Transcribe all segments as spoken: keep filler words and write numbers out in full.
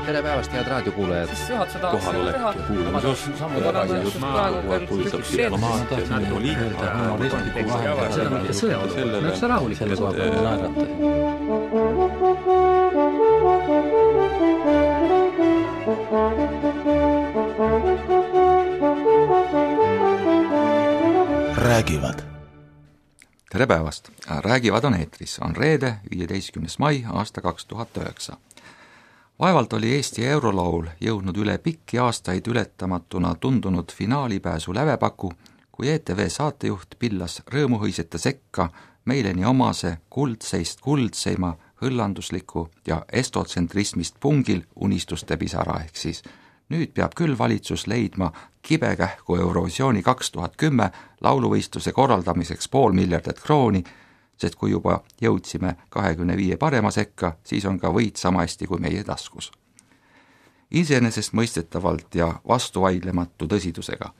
tere päevast, head raadiokuulajad. Kohalolek ja kuulamisos Maakogu puudutab diplomaatiat, poliitika, humoristliku vahel. Sõjad, näeks rahulik selle koha peal naerata. Räägivad. Tere päevast! Räägivad on eetris. On reede, viieteistkümnes mai, aasta kaks tuhat üheksa. Vaevalt oli Eesti eurolaul jõudnud üle pikki aastaid ületamatuna tundunud finaalipääsu lävepaku, kui E T V saatejuht pillas rõõmuhõisete sekka meile nii omase kuldseist kuldseima hõllandusliku ja estotsentrismist pungil unistuste pisara ehk siis nüüd peab küll valitsus leidma kibekähku Eurovisiooni kaks tuhat kümme lauluvõistluse korraldamiseks pool miljardit krooni, sest kui juba jõudsime kahekümne viie parema sekka, siis on ka võit sama hästi kui meie taskus. Iseenesest mõistetavalt ja vastuvaidlematu tõsidusega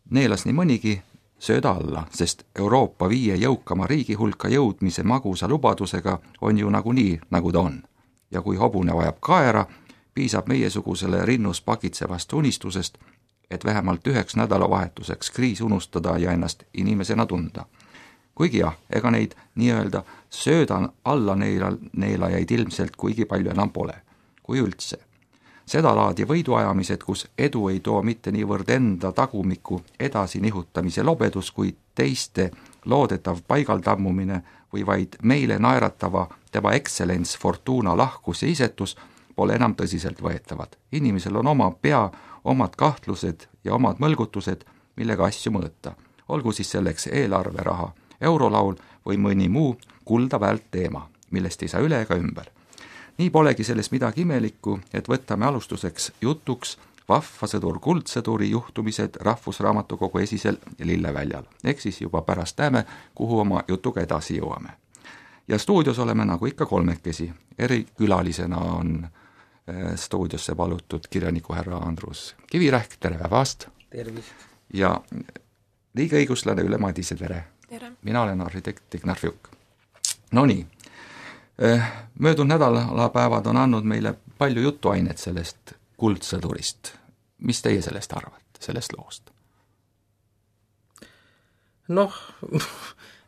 neelas nii mõnigi sööda alla, sest Euroopa viie jõukama riigi hulka jõudmise magusa lubadusega on ju nagunii, nagu ta on. Ja kui hobune vajab kaera, piisab meiesugusele rinnus pakitsevast unistusest, et vähemalt üheks nädalavahetuseks kriis unustada ja ennast inimesena tunda. Kuigi jah, ega neid nii-öelda söödan alla neela, neelajaid ilmselt kuigi palju enam pole, kui üldse. Seda laadi võiduajamised, kus edu ei too mitte niivõrd enda tagumiku edasi nihutamise lobedus, kui teiste loodetav paigaldammumine või vaid meile naeratava tema excellence Fortuna lahkus ja isetus pole enam tõsiselt võetavad. Inimesel on oma pea, omad kahtlused ja omad mõlgutused, millega asju mõõta. Olgu siis selleks eelarveraha, eurolaul või mõni muu kulda väärt teema, millest ei saa üle ega ümber. Nii polegi selles midagi imelikku, et võtame alustuseks jutuks vahva sõdur kuldsõduri juhtumised Rahvusraamatukogu esisel Lilleväljal. Ehk siis juba pärast näeme, kuhu oma jutuga edasi jõuame. Ja stuudios oleme nagu ikka kolmekesi. Eri külalisena on stuudiosse palutud kirjaniku härra Andrus Kivirähk, tere päevast! Tervist! Ja riigiõiguslane Ülle Madise, tere! Tere. Mina olen arhitekt Ignar Fjuk. No nii, möödunud nädalapäevad on andnud meile palju jutuainet sellest kuldsõdurist. Mis teie sellest arvate, sellest loost? Noh,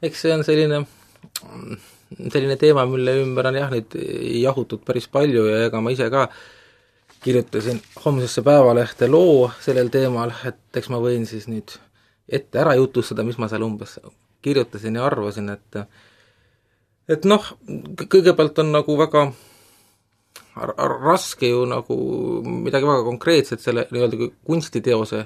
eks see on selline, selline teema, mille ümber on jah nüüd jahutud päris palju ja ega ma ise ka kirjutasin homsesse Päevalehte loo sellel teemal, et eks ma võin siis nüüd ette ära jutustada, mis ma seal umbes kirjutasin ja arvasin, et et noh, kõigepealt on nagu väga raske ju nagu midagi väga konkreetset selle nii-öelda kunstiteose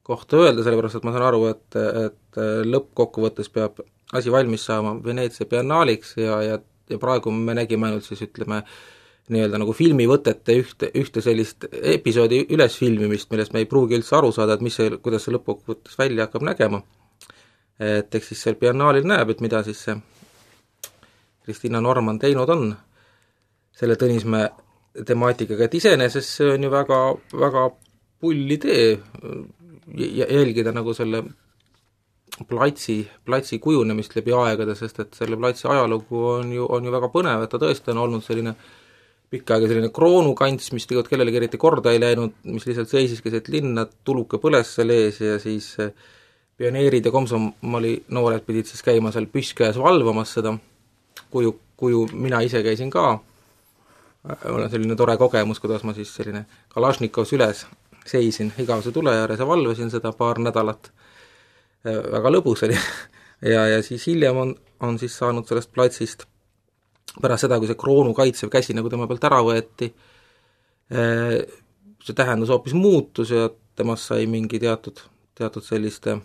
kohta öelda, sellepärast et ma saan aru, et, et lõppkokkuvõttes peab asi valmis saama Veneetsia biennaaliks ja, ja, ja praegu me nägime ainult siis ütleme nii-öelda nagu filmivõtete ühte, ühte sellist episoodi ülesfilmimist, millest me ei pruugi üldse aru saada, et mis see, kuidas see lõppkokkuvõttes välja hakkab nägema. Et eks siis seal biennaalil näeb, et mida siis see Kristina Norman teinud on selle Tõnismäe temaatikaga, et iseenesest see on ju väga, väga pull idee jälgida nagu selle platsi, platsi kujunemist läbi aegade, sest et selle platsi ajalugu on ju, on ju väga põnev, et ta tõesti on olnud selline pikka aega selline kroonukants, mis tegelikult kellelegi eriti korda ei läinud, mis lihtsalt seisis keset linna, tuluke põles seal ees ja siis pioneerid ja komsomoli noored pidid siis käima seal püsskäes valvamas seda kuju, kuju mina ise käisin ka. Mul on selline tore kogemus, kuidas ma siis selline Kalašnikovs üles seisin igavese tule ääres ja valvasin seda paar nädalat. Väga lõbus oli. Ja, ja siis hiljem on, on siis saanud sellest platsist pärast seda, kui see kroonu kaitsev käsi nagu tema pealt ära võeti, see tähendus hoopis muutus ja temast sai mingi teatud, teatud selliste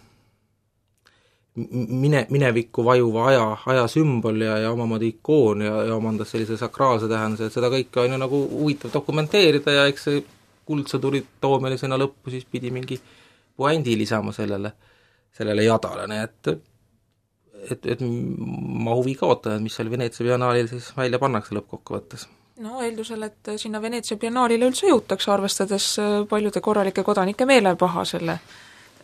mine, minevikku vajuva aja, aja sümbol ja, ja omamoodi ikoon ja, ja omandas sellise sakraalse tähenduse, et seda kõike on ju nagu huvitav dokumenteerida ja eks see kuldsõduri toomine sinna lõppu siis pidi mingi puändi lisama sellele, sellele jadale, nii et et, et ma huvi kaotan, mis seal Veneetsia biennaalil siis välja pannakse lõppkokkuvõttes. No eeldusel, et sinna Veneetsia biennaalile üldse jõutakse, arvestades paljude korralike kodanike meelepaha selle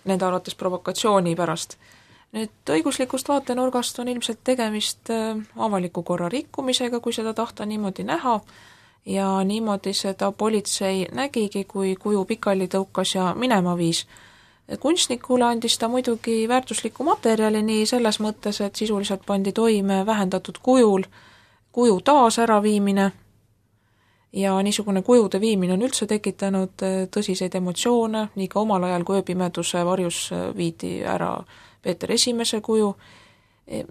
nende arvates provokatsiooni pärast. Nüüd õiguslikust vaatenurgast on ilmselt tegemist avaliku korra rikkumisega, kui seda tahta niimoodi näha, ja niimoodi seda politsei nägigi, kui kuju pikali tõukas ja minema viis. Kunstnikule andis ta muidugi väärtuslikku materjali nii selles mõttes, et sisuliselt pandi toime vähendatud kujul kuju taas äraviimine ja niisugune kujude viimine on üldse tekitanud tõsiseid emotsioone, nii ka omal ajal, kui ööpimeduse varjus viidi ära Peeter Esimese kuju,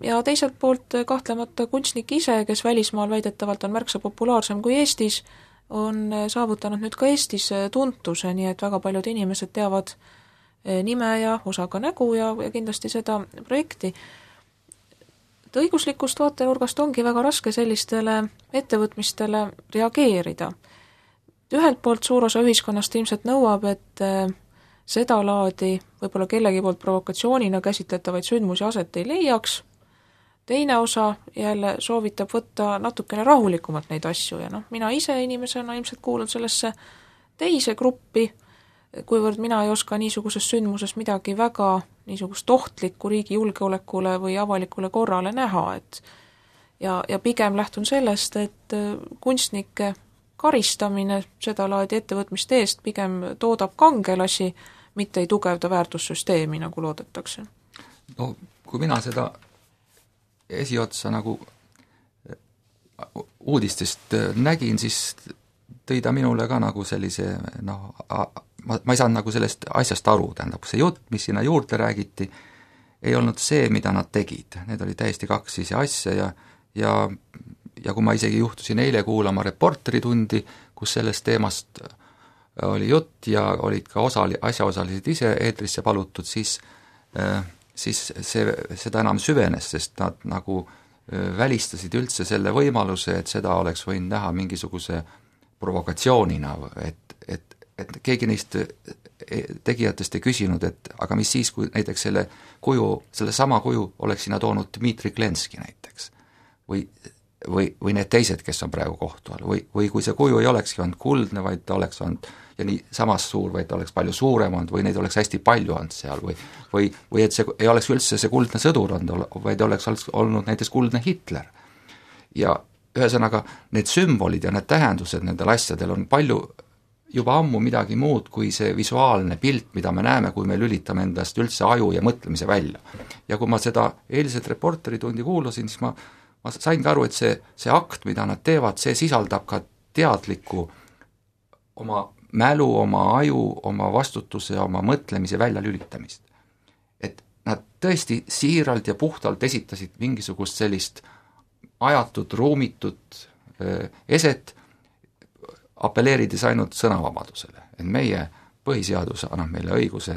ja teiselt poolt kahtlemata kunstnik ise, kes välismaal väidetavalt on märksa populaarsem kui Eestis, on saavutanud nüüd ka Eestis tuntuse, nii et väga paljud inimesed teavad nime ja osaga nägu ja, ja kindlasti seda projekti. Et õiguslikust vaatenurgast ongi väga raske sellistele ettevõtmistele reageerida. Ühelt poolt suur osa ühiskonnast ilmselt nõuab, et seda laadi võib-olla kellegi poolt provokatsioonina käsitletavaid sündmusi aset ei leiaks, teine osa jälle soovitab võtta natukene rahulikumalt neid asju ja noh, mina ise inimesena ilmselt kuulun sellesse teise gruppi, kuivõrd mina ei oska niisuguses sündmuses midagi väga niisugust ohtlikku riigi julgeolekule või avalikule korrale näha, et ja, ja pigem lähtun sellest, et kunstnike karistamine seda laadi ettevõtmiste eest pigem toodab kangelasi, mitte ei tugevda väärtussüsteemi, nagu loodetakse. No kui mina seda esiotsa nagu uudistest nägin, siis tõi ta minule ka nagu sellise noh, ma, ma ei saanud nagu sellest asjast aru, tähendab, see jutt, mis sinna juurde räägiti, ei olnud see, mida nad tegid. Need oli täiesti kaks ise asja ja, ja, ja kui ma isegi juhtusin eile kuulama reporteritundi, kus sellest teemast oli jutt ja olid ka osali, asjaosalised ise eetrisse palutud, siis, siis see, seda enam süvenes, sest nad nagu välistasid üldse selle võimaluse, et seda oleks võinud näha mingisuguse provokatsioonina, et, et, et keegi neist tegijatest ei küsinud, et aga mis siis, kui näiteks selle kuju, selle sama kuju oleks sinna toonud Dmitri Klenski näiteks või, või, või need teised, kes on praegu kohtu all, või, või kui see kuju ei olekski olnud kuldne, vaid ta oleks olnud ja nii samas suur, vaid ta oleks palju suurem olnud või neid oleks hästi palju olnud seal või, või, või et see ei oleks üldse see kuldne sõdur olnud, vaid oleks olnud näiteks kuldne Hitler. Ja ühesõnaga, need sümbolid ja need tähendused nendel asjadel on palju juba ammu midagi muud kui see visuaalne pilt, mida me näeme, kui me lülitame endast üldse aju ja mõtlemise välja. Ja kui ma seda eilset reporteritundi kuulasin, siis ma, ma sain ka aru, et see, see akt, mida nad teevad, see sisaldab ka teadlikku oma mälu, oma aju, oma vastutuse, oma mõtlemise välja lülitamist. Et nad tõesti siiralt ja puhtalt esitasid mingisugust sellist ajatud, ruumitut eset, apelleerides ainult sõnavabadusele. Et meie põhiseadus annab meile õiguse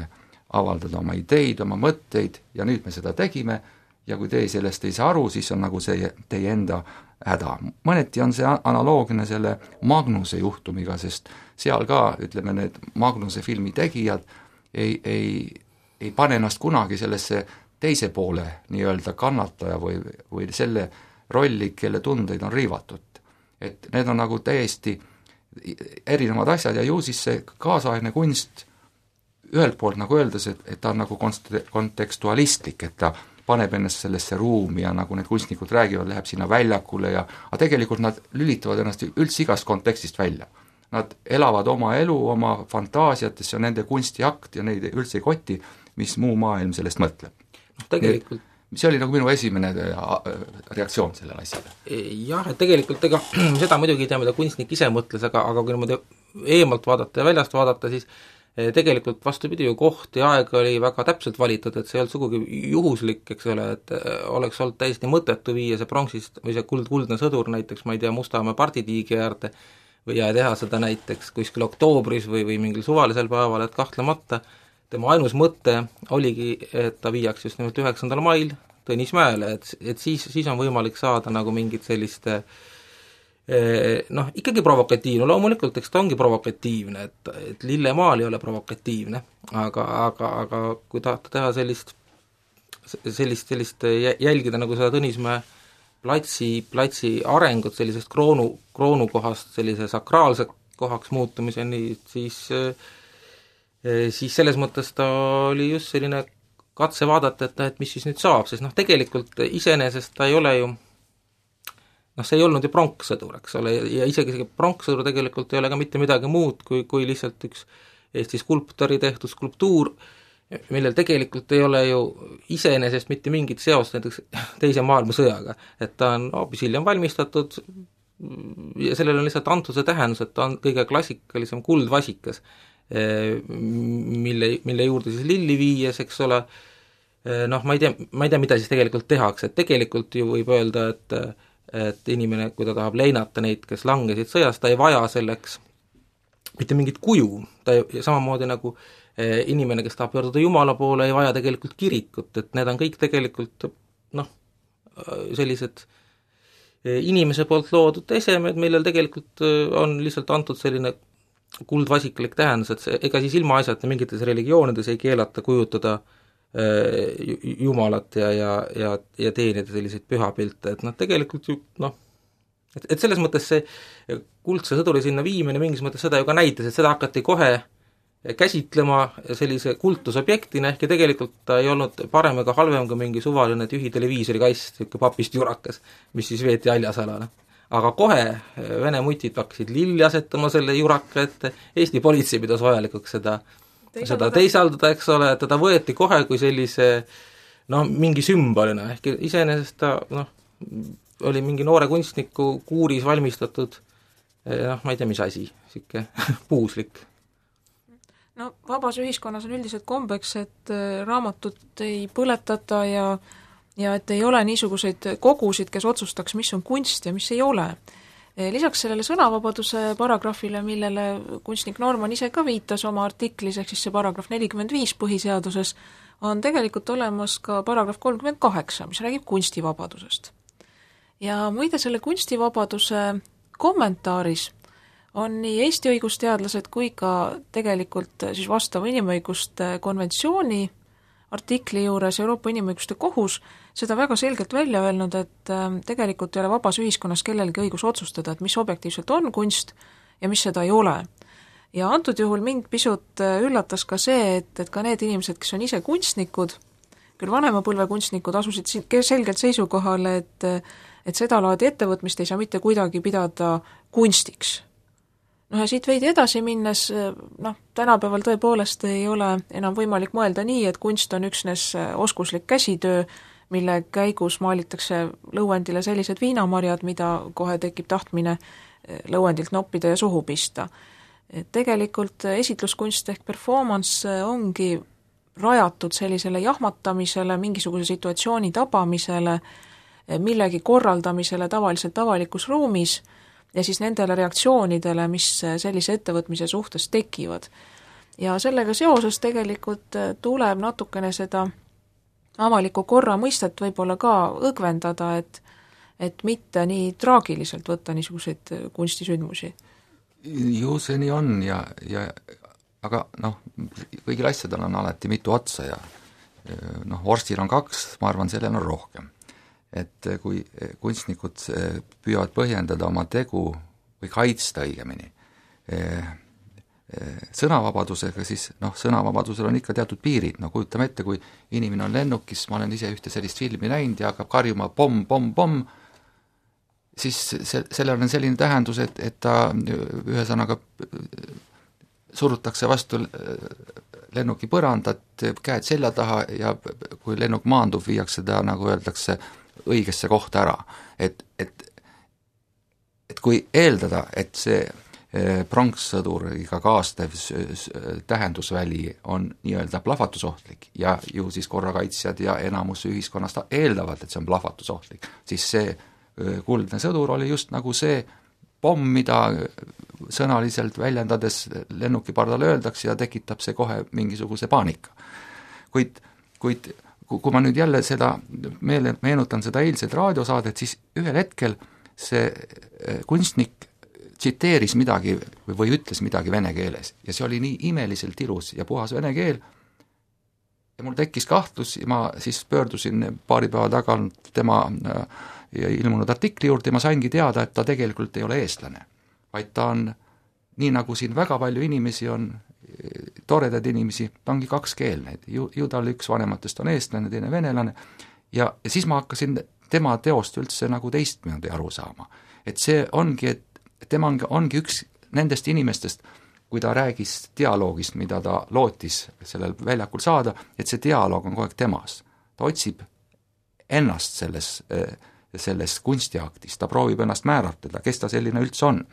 avaldada oma ideid, oma mõtteid ja nüüd me seda tegime ja kui teie sellest ei saa aru, siis on nagu see teie enda häda. Mõneti on see analoogne selle Magnuse juhtumiga, sest seal ka, ütleme, need Magnuse filmi tegijad ei, ei, ei pane ennast kunagi sellesse teise poole nii-öelda kannataja või, või selle rolli, kelle tundeid on riivatud. Et need on nagu täiesti erinevad asjad ja ju siis see kaasaegne kunst ühelt poolt nagu öeldes, et, et ta on nagu kontekstualistlik, et ta paneb ennast sellesse ruumi ja nagu need kunstnikud räägivad, läheb sinna väljakule ja aga tegelikult nad lülitavad ennast üldse igast kontekstist välja. Nad elavad oma elu, oma fantaasiates, see on nende kunstiakt ja neid üldse ei koti, mis muu maailm sellest mõtleb. No, tegelikult see oli nagu minu esimene reaktsioon sellele asjale. Jah, et tegelikult ega seda muidugi ei tea, mida kunstnik ise mõtles, aga, aga kui niimoodi eemalt vaadata ja väljast vaadata, siis tegelikult vastupidi ju koht ja aeg oli väga täpselt valitud, et see ei olnud sugugi juhuslik, eks ole, et oleks olnud täiesti mõttetu viia see pronksist või see kuld, kuldne sõdur näiteks, ma ei tea, Mustamäe parditiigi äärde või ja teha seda näiteks kuskil oktoobris või, või mingil suvalisel päeval, et kahtlemata tema ainus mõte oligi, et ta viiaks just nimelt üheksandal mail Tõnismäele, et, et siis, siis on võimalik saada nagu mingit sellist noh, ikkagi provokatiivne, loomulikult, eks ta ongi provokatiivne, et, et Lillemaal ei ole provokatiivne, aga, aga, aga kui tahta teha sellist, sellist, sellist jälgida nagu seda Tõnismäe platsi, platsi arengut sellisest kroonu, kroonukohast sellise sakraalse kohaks muutumiseni, siis siis selles mõttes ta oli just selline katse vaadata, et, et mis siis nüüd saab, sest noh, tegelikult iseenesest ta ei ole ju noh, see ei olnud ju pronkssõdur, eks ole, ja isegi see pronkssõdur tegelikult ei ole ka mitte midagi muud kui, kui lihtsalt üks Eesti skulptori tehtud skulptuur, millel tegelikult ei ole ju iseenesest mitte mingit seost näiteks teise maailmasõjaga, et ta on hoopis hiljem valmistatud ja sellel on lihtsalt antud see tähendus, et ta on kõige klassikalisem kuldvasikas, mille, mille juurde siis lilli viies, eks ole, noh, ma ei tea, ma ei tea, mida siis tegelikult tehakse, et tegelikult ju võib öelda, et et inimene, kui ta tahab leinata neid, kes langesid sõjas, ta ei vaja selleks mitte mingit kuju, ta ei, samamoodi nagu inimene, kes tahab pöörduda Jumala poole, ei vaja tegelikult kirikut, et need on kõik tegelikult noh, sellised inimese poolt loodud esemed, millel tegelikult on lihtsalt antud selline kuldvasikalik tähendus, et see, ega siis ilma asjata mingites religioonides ei keelata kujutada Jumalat ja, ja, ja, ja teenida selliseid pühapilte, et noh, tegelikult ju noh, et, et selles mõttes see kuldse sõduri sinna viimine mingis mõttes seda ju ka näitas, et seda hakati kohe käsitlema sellise kultusobjektina, ehkki tegelikult ta ei olnud parem ega halvem kui mingi suvaline tühi televiisorikast, niisugune papist jurakas, mis siis veeti haljasalale. Aga kohe Vene mutid hakkasid lilli asetama selle juraka ette, Eesti politsei pidas vajalikuks seda seda teisaldada, eks ole, et teda võeti kohe kui sellise noh, mingi sümbolina, ehk iseenesest ta noh, oli mingi noore kunstniku kuuris valmistatud noh, ma ei tea, mis asi, siuke puuslik. No vabas ühiskonnas on üldiselt kombeks, et raamatut ei põletata ja, ja et ei ole niisuguseid kogusid, kes otsustaks, mis on kunst ja mis ei ole. Lisaks sellele sõnavabaduse paragrahvile, millele kunstnik Norman ise ka viitas oma artiklis, ehk siis see paragrahv nelikümmend viis põhiseaduses, on tegelikult olemas ka paragrahv kolmkümmend kaheksa, mis räägib kunstivabadusest. Ja muide selle kunstivabaduse kommentaaris on nii Eesti õigusteadlased kui ka tegelikult siis vastava inimõiguste konventsiooni artikli juures Euroopa Inimõiguste Kohus seda väga selgelt välja öelnud, et tegelikult ei ole vabas ühiskonnas kellelgi õigus otsustada, et mis objektiivselt on kunst ja mis seda ei ole. Ja antud juhul mind pisut üllatas ka see, et, et ka need inimesed, kes on ise kunstnikud, küll vanema põlve kunstnikud, asusid selgelt seisukohale, et, et seda laadi ettevõtmist ei saa mitte kuidagi pidada kunstiks. Noh ja siit veidi edasi minnes, noh, tänapäeval tõepoolest ei ole enam võimalik mõelda nii, et kunst on üksnes oskuslik käsitöö, mille käigus maalitakse lõuendile sellised viinamarjad, mida kohe tekib tahtmine lõuendilt noppida ja suhu pista. Tegelikult esitluskunst ehk performance ongi rajatud sellisele jahmatamisele, mingisuguse situatsiooni tabamisele, millegi korraldamisele tavaliselt avalikus ruumis ja siis nendele reaktsioonidele, mis sellise ettevõtmise suhtes tekivad. Ja sellega seoses tegelikult tuleb natukene seda avaliku korra mõistet võib-olla ka õgvendada, et, et mitte nii traagiliselt võtta niisuguseid kunstisündmusi. Ju see nii on ja, ja aga noh, kõigil asjadel on alati mitu otsa ja noh, vorstil on kaks, ma arvan, sellel on rohkem. Et kui kunstnikud püüavad põhjendada oma tegu või kaitsta õigemini sõnavabadusega, siis noh, sõnavabadusel on ikka teatud piirid, no kujutame ette, kui inimene on lennukis, ma olen ise ühte sellist filmi näinud ja hakkab karjuma pomm, pomm, pomm, siis se- sellel on selline tähendus, et, et ta ühesõnaga surutakse vastu lennuki põrandat, käed selja taha ja kui lennuk maandub, viiakse ta, nagu öeldakse, õigesse kohta ära. Et, et, et kui eeldada, et see pronkssõduriga kaastev tähendusväli on nii-öelda plahvatusohtlik ja ju siis korrakaitsjad ja enamus ühiskonnast eeldavad, et see on plahvatusohtlik, siis see kuldne sõdur oli just nagu see pomm, mida sõnaliselt väljendades lennuki pardale öeldakse ja tekitab see kohe mingisuguse paanika. Kuid, kuid kui ma nüüd jälle seda meele, meenutan seda eilset raadiosaadet, siis ühel hetkel see kunstnik tsiteeris midagi või ütles midagi vene keeles ja see oli nii imeliselt ilus ja puhas vene keel ja mul tekkis kahtlus ja ma siis pöördusin paari päeva tagant tema ilmunud artikli juurde ja ma saingi teada, et ta tegelikult ei ole eestlane, vaid ta on, nii nagu siin väga palju inimesi on, toredad inimesi, ta ongi kakskeelne, ju, ju tal üks vanematest on eestlane, teine venelane ja, ja siis ma hakkasin tema teost üldse nagu teistmoodi aru saama. Et see ongi, et tema ongi, ongi üks nendest inimestest, kui ta räägis dialoogist, mida ta lootis sellel väljakul saada, et see dialoog on kogu aeg temas. Ta otsib ennast selles, selles kunstiaktis, ta proovib ennast määratleda, kes ta selline üldse on.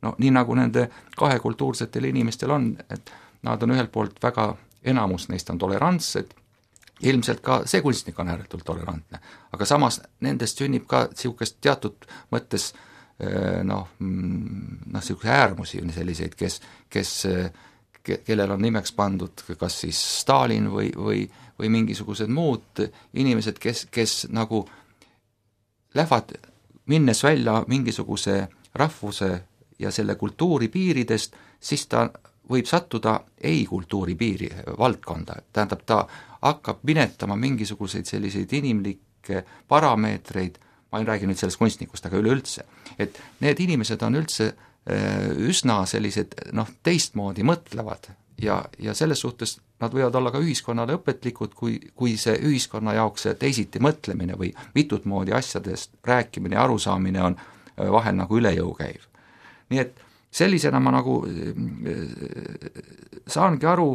No nii nagu nende kahe kultuursetel inimestel on, et nad on ühelt poolt väga, enamus neist on tolerantsed, ilmselt ka see kunstnik on ääretult tolerantne, aga samas nendest sünnib ka niisugust teatud mõttes noh, noh niisuguse äärmusi selliseid, kes, kes, kellel on nimeks pandud kas siis Stalin või, või, või mingisugused muud inimesed, kes, kes nagu lähevad minnes välja mingisuguse rahvuse ja selle kultuuri piiridest, siis ta võib sattuda ei-kultuuri piiri valdkonda, tähendab, ta hakkab minetama mingisuguseid selliseid inimlikke parameetreid, ma ei räägi nüüd sellest kunstnikust, aga üleüldse, et need inimesed on üldse üsna sellised noh, teistmoodi mõtlevad ja, ja selles suhtes nad võivad olla ka ühiskonnale õpetlikud, kui, kui see ühiskonna jaoks see teisiti mõtlemine või mitut moodi asjadest rääkimine ja arusaamine on vahel nagu üle jõu käiv. Nii et sellisena ma nagu saangi aru,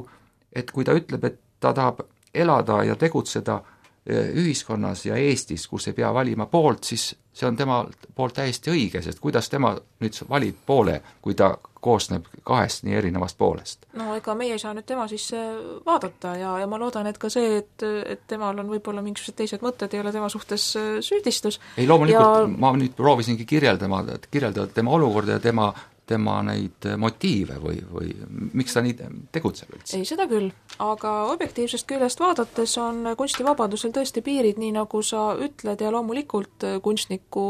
et kui ta ütleb, et ta tahab elada ja tegutseda ühiskonnas ja Eestis, kus ei pea valima poolt, siis see on tema poolt täiesti õige, sest kuidas tema nüüd valib poole, kui ta koosneb kahest nii erinevast poolest? No ega meie ei saa nüüd tema sisse vaadata ja, ja ma loodan, et ka see, et, et temal on võib-olla mingisugused teised mõtted, ei ole tema suhtes süüdistus. Ei, loomulikult ja... ma nüüd proovisingi kirjeldama, kirjeldada tema olukorda ja tema tema neid motiive või, või miks ta nii tegutseb üldse? Ei, seda küll, aga objektiivsest küljest vaadates on kunstivabadusel tõesti piirid, nii nagu sa ütled, ja loomulikult kunstniku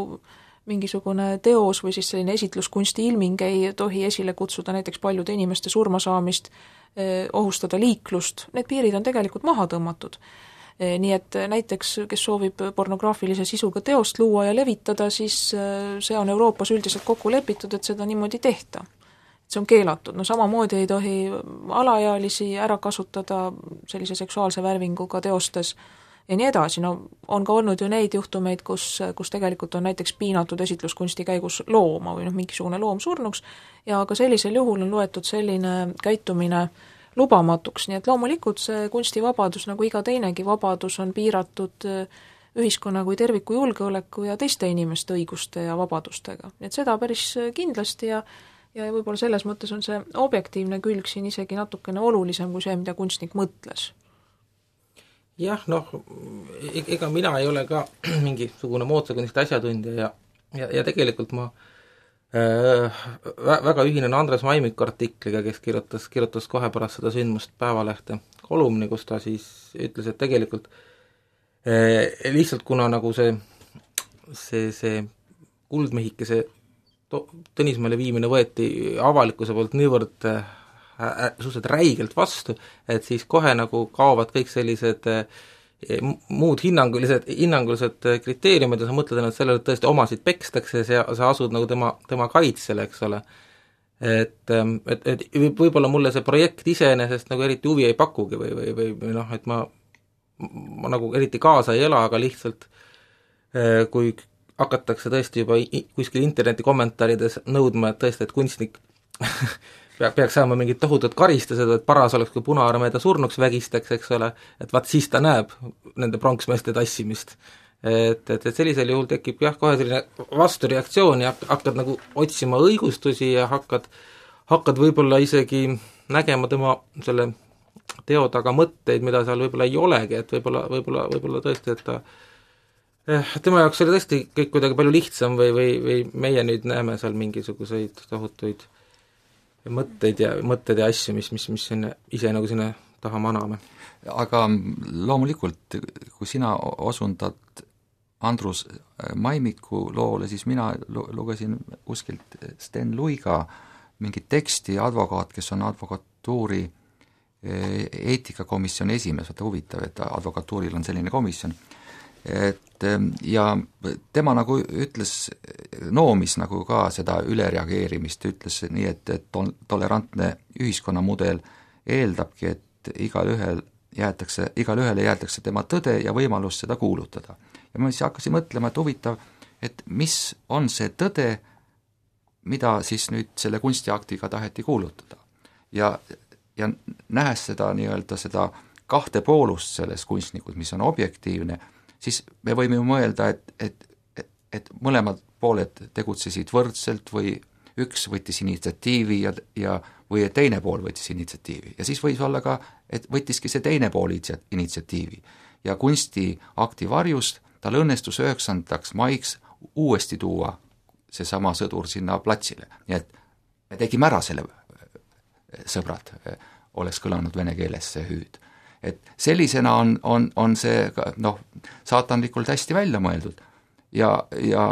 mingisugune teos või siis selline esitluskunsti ilming ei tohi esile kutsuda näiteks paljude inimeste surmasaamist, ohustada liiklust, need piirid on tegelikult maha tõmmatud. Nii et näiteks, kes soovib pornograafilise sisuga teost luua ja levitada, siis see on Euroopas üldiselt kokku lepitud, et seda niimoodi tehta. See on keelatud. No samamoodi ei tohi alaealisi ära kasutada sellise seksuaalse värvinguga teostes ja nii edasi. No on ka olnud ju neid juhtumeid, kus, kus tegelikult on näiteks piinatud esitluskunsti käigus looma või noh, mingisugune loom surnuks ja ka sellisel juhul on loetud selline käitumine lubamatuks, nii et loomulikult see kunstivabadus, nagu iga teinegi vabadus, on piiratud ühiskonna kui terviku julgeoleku ja teiste inimeste õiguste ja vabadustega. Nii et seda päris kindlasti ja, ja võib-olla selles mõttes on see objektiivne külg siin isegi natukene olulisem kui see, mida kunstnik mõtles. Jah, noh, ega mina ei ole ka mingisugune moodsakunstist asjatundja ja, ja, ja tegelikult ma väga ühinen Andres Maimiku artikliga, kes kirjutas, kirjutas kohe pärast seda sündmust Päevalehte kolumni, kus ta siis ütles, et tegelikult eh, lihtsalt kuna nagu see see, see kuldmehikese Tõnismäele viimine võeti avalikkuse poolt niivõrd äh, suhteliselt räigelt vastu, et siis kohe nagu kaovad kõik sellised äh, muud hinnangulised, hinnangulised kriteeriumid ja sa mõtled ennast sellele, et tõesti omasid pekstakse ja sa asud nagu tema, tema kaitsele, eks ole. Et, et, et võib-olla mulle see projekt iseenesest nagu eriti huvi ei pakugi või, või, või, või noh, et ma, ma nagu eriti kaasa ei ela, aga lihtsalt kui hakatakse tõesti juba kuskil interneti kommentaarides nõudma, et tõesti, et kunstnik peaks saama mingid tohutud karistused, et paras oleks, kui Punaarmee ta surnuks vägistaks, eks ole, et vaat siis ta näeb nende pronksmeeste tassimist. Et, et, et sellisel juhul tekib jah, kohe selline vastureaktsioon ja hakkad nagu otsima õigustusi ja hakkad, hakkad võib-olla isegi nägema tema selle teo taga mõtteid, mida seal võib-olla ei olegi, et võib-olla, võib-olla, võib-olla tõesti, et ta tema jaoks oli tõesti kõik kuidagi palju lihtsam või, või, või meie nüüd näeme seal mingisuguseid tohutuid mõtteid ja, mõtteid ja asju, mis, mis, mis sinne, ise nagu sinna taha maname. Aga loomulikult, kui sina osundad Andrus Maimiku loole, siis mina lugesin kuskilt Sten Luiga mingit teksti, advokaat, kes on advokatuuri eetikakomisjoni esimees, vaata huvitav, et advokatuuril on selline komisjon, et ja tema nagu ütles, noomis nagu ka seda ülereageerimist, ütles nii, et, et tolerantne ühiskonnamudel eeldabki, et igal ühel jäetakse, igal ühele jäetakse tema tõde ja võimalus seda kuulutada. ja ma siis hakkasin mõtlema, et huvitav, et mis on see tõde, mida siis nüüd selle kunstiaktiga taheti kuulutada. Ja, ja nähes seda nii-öelda seda kahte poolust selles kunstnikud, mis on objektiivne, siis me võime ju mõelda, et, et, et, et mõlemad pooled tegutsesid võrdselt või üks võttis initsiatiivi ja, ja või teine pool võttis initsiatiivi. Ja siis võis olla ka, et võttiski see teine pool initsiatiivi. Ja kunstiakti varjust tal õnnestus üheksandaks maiks uuesti tuua see sama sõdur sinna platsile. Nii et me tegime ära selle, sõbrad, oleks kõlanud vene keeles see hüüd. Et sellisena on, on, on see noh, saatanlikult hästi välja mõeldud. Ja, ja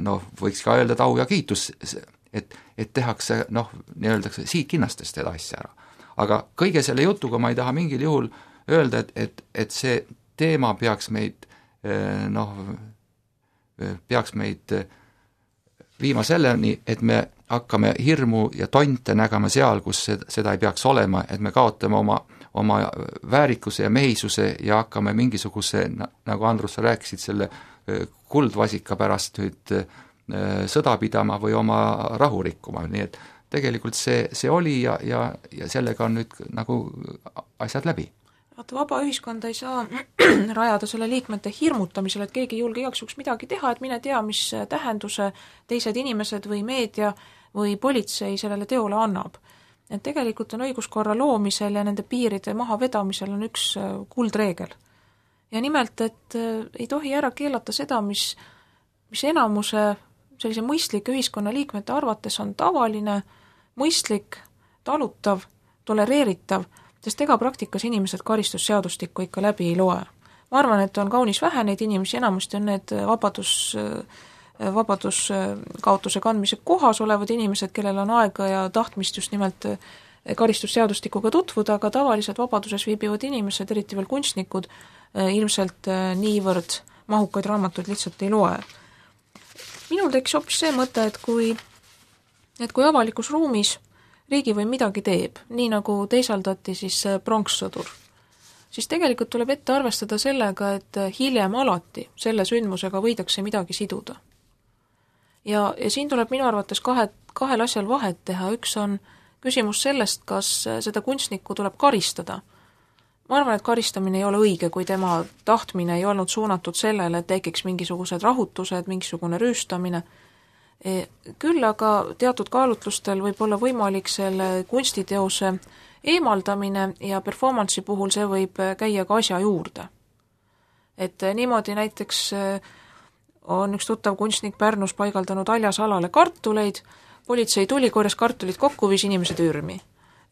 noh, võiks ka öelda tau ja kiitus, et, et tehakse, noh, nii öeldakse, siigkinnastest seda asja ära. Aga kõige selle jutuga ma ei taha mingil juhul öelda, et, et, et see teema peaks meid, noh, peaks meid viima selleni, et me hakkame hirmu ja tonte nägema seal, kus seda ei peaks olema, et me kaotame oma, oma väärikuse ja mehisuse ja hakkame mingisuguse, nagu Andrus, sa rääkisid, selle kuldvasika pärast nüüd sõda pidama või oma rahu rikkuma, nii et tegelikult see, see oli ja, ja, ja sellega on nüüd nagu asjad läbi. Vaata, vaba ühiskonda ei saa rajada selle liikmete hirmutamisele, et keegi ei julge igaks juhuks midagi teha, et mine tea, mis tähenduse teised inimesed või meedia või politsei sellele teole annab. Et tegelikult on õiguskorra loomisel ja nende piiride mahavedamisel on üks kuldreegel. Ja nimelt, et ei tohi ära keelata seda, mis, mis enamuse sellise mõistlike ühiskonna liikmete arvates on tavaline, mõistlik, talutav, tolereeritav, sest ega praktikas inimesed karistusseadustikku ikka läbi ei loe. Ma arvan, et on kaunis vähe neid inimesi, enamasti on need vabadus, vabaduskaotuse kandmise kohas olevad inimesed, kellel on aega ja tahtmist just nimelt karistusseadustikuga tutvuda, aga tavaliselt vabaduses viibivad inimesed, eriti veel kunstnikud, ilmselt niivõrd mahukaid raamatuid lihtsalt ei loe. Minul tekkis hoopis see mõte, et kui, et kui avalikus ruumis riigi või midagi teeb, nii nagu teisaldati siis pronkssõdur, siis tegelikult tuleb ette arvestada sellega, et hiljem alati selle sündmusega võidakse midagi siduda. Ja, ja siin tuleb minu arvates kahe, kahel asjal vahet teha. Üks on küsimus sellest, kas seda kunstnikku tuleb karistada. Ma arvan, et karistamine ei ole õige, kui tema tahtmine ei olnud suunatud sellele, et tekiks mingisugused rahutused, mingisugune rüüstamine. Küll aga teatud kaalutlustel võib olla võimalik selle kunstiteose eemaldamine ja performance'i puhul see võib käia ka asja juurde. Et niimoodi näiteks on üks tuttav kunstnik Pärnus paigaldanud aljasalale kartuleid, politsei tuli, korjas kartulid kokku, viis inimesed ürmi.